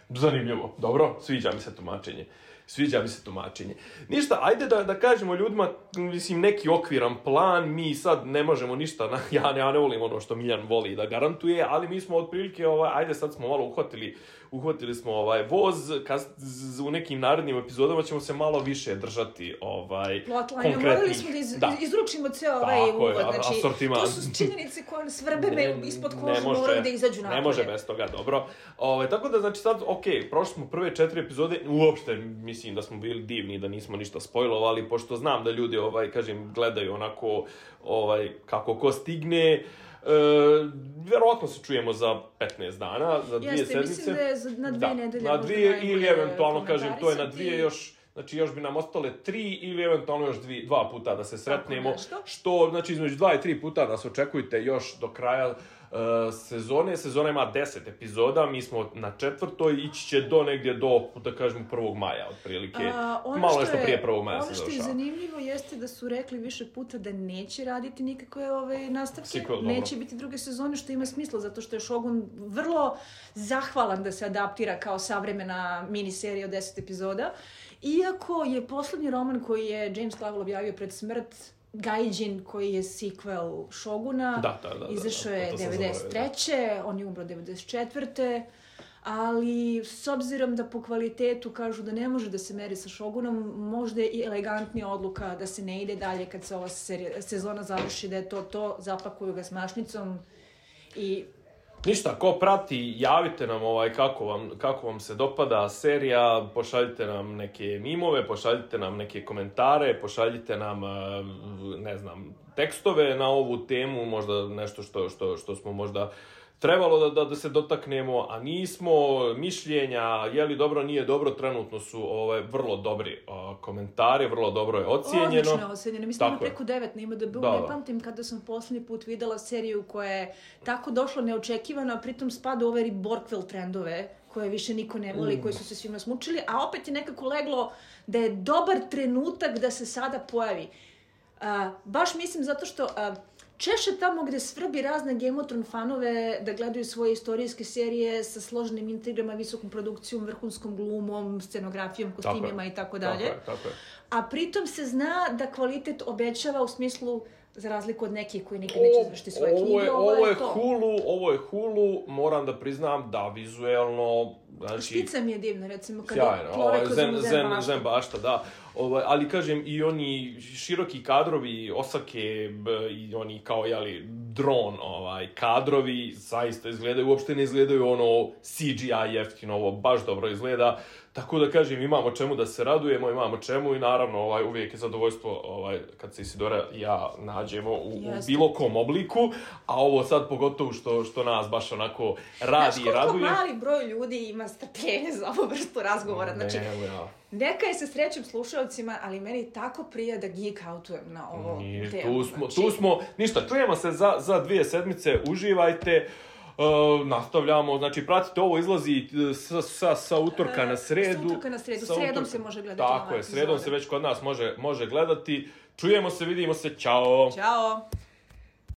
Zanimljivo. Dobro, sviđa mi se tumačenje. Sviđa mi se tumačenje. Ništa, ajde da, da kažemo ljudima, mislim, neki okviran plan, mi sad ne možemo ništa, na, ja, ja ne volim ono što Miljan voli da garantuje, ali mi smo otprilike, ovaj, ajde sad smo malo uhvatili, uhvatili smo ovaj voz, kad, z, u nekim narednim epizodama ćemo se malo više držati ovaj, plotline, konkretnih... Morali smo da, iz, da. izručimo cijel ovaj uvod, znači, asortiman. To su činjenice koje svrbe me ispod kože, moraju da izađu napolje. Ne može bez toga, dobro. Ovaj, tako da, znači sad, okej, okay, prošli smo prve četiri epizode, uopšte, mislim da smo bili divni, da nismo ništa spojlovali, pošto znam da ljudi, ovaj, kažem, gledaju onako, ovaj, kako ko stigne. E, vjerovatno se čujemo za petnaest dana, za dvije Jeste, sedmice. Mislim da je za, na dvije da, nedelje. Na dvije ili eventualno, kažem, to je na dvije još, znači još bi nam ostale tri ili eventualno još dvije, dva puta da se sretnemo. Što, znači, između dva i tri puta nas očekujte još do kraja Uh, sezone. Sezona ima deset epizoda, mi smo na četvrtoj, ići će do negdje do, da kažemo, prvog maja, otprilike. Uh, Malo nešto prije prvog maja se završava. Ono što je zanimljivo jeste da su rekli više puta da neće raditi nikakve ove nastavke, Sequel, neće biti druge sezone, što ima smisla, zato što je Shogun vrlo zahvalan da se adaptira kao savremena miniserija od deset epizoda. Iako je poslednji roman koji je James Clavell objavio pred smrt, Gaijin, koji je sequel Shoguna, da, da, da, izašao da, da, je devedeset treće on je umro devedeset četvrte Ali s obzirom da po kvalitetu kažu da ne može da se meri sa Shogunom, možda je i elegantnija odluka da se ne ide dalje kad se ova serija, sezona završi, da je to to, zapakuju ga s mašnicom i... Ništa, ko prati, javite nam ovaj kako vam, kako vam se dopada serija, pošaljite nam neke mimove, pošaljite nam neke komentare, pošaljite nam, ne znam, tekstove na ovu temu, možda nešto što, što, što smo možda trebalo da, da, da se dotaknemo, a nismo, mišljenja, je li dobro, nije dobro, trenutno su ovaj, vrlo dobri o, komentari, vrlo dobro je ocijenjeno. Odlično je ocijenjeno, mislim da preko devet na ima da bi, ne pamtim kada sam posljednji put videla seriju koja je tako došla neočekivano, a pritom spada u ove Borkville trendove, koje više niko ne voli, mm. koji su se svima smučili, a opet je nekako leglo da je dobar trenutak da se sada pojavi. Uh, baš mislim zato što... Uh, Češe tamo gde svrbi razne Game of Thrones fanove da gledaju svoje istorijske serije sa složenim intrigrama, visokom produkcijom, vrhunskom glumom, scenografijom, kostimima i tako dalje. Tako je, tako je. A pritom se zna da kvalitet obećava u smislu, za razliku od nekih koji nikad neće izvršiti svoje knjige, ovo je, ovo je to. Hulu, ovo je Hulu, moram da priznam da vizuelno Znači, Štica mi je divna, recimo, kada sjajno, plove ovaj, kroz zen, zen, zen, bašta. zen bašta, da. Ovaj, ali kažem, i oni široki kadrovi, Osake, b, i oni kao, jeli, dron, ovaj, kadrovi, zaista izgledaju, uopšte ne izgledaju ono C G I jeftino, ovo baš dobro izgleda. Tako da kažem, imamo čemu da se radujemo, imamo čemu i naravno ovaj, uvijek je zadovoljstvo ovaj, kad se Isidora i ja nađemo u, u bilo kom obliku, a ovo sad pogotovo što, što nas baš onako radi i raduje. Znaš koliko mali broj ljudi ima strpljenje za ovu vrstu razgovora, znači ne, ja. neka je se srećem slušalcima, ali meni tako prija da geek outujem na ovo Ni, temu. Tu smo, znači... tu smo, ništa, čujemo se za, za dvije sedmice, uživajte. Uh, nastavljamo, znači pratite, ovo izlazi sa, sa, sa utorka na sredu. Sa utorka na sredu, sa sredom utorka... se može gledati. Tako je, sredom se već kod nas može, može gledati. Čujemo se, vidimo se, čao! Ćao!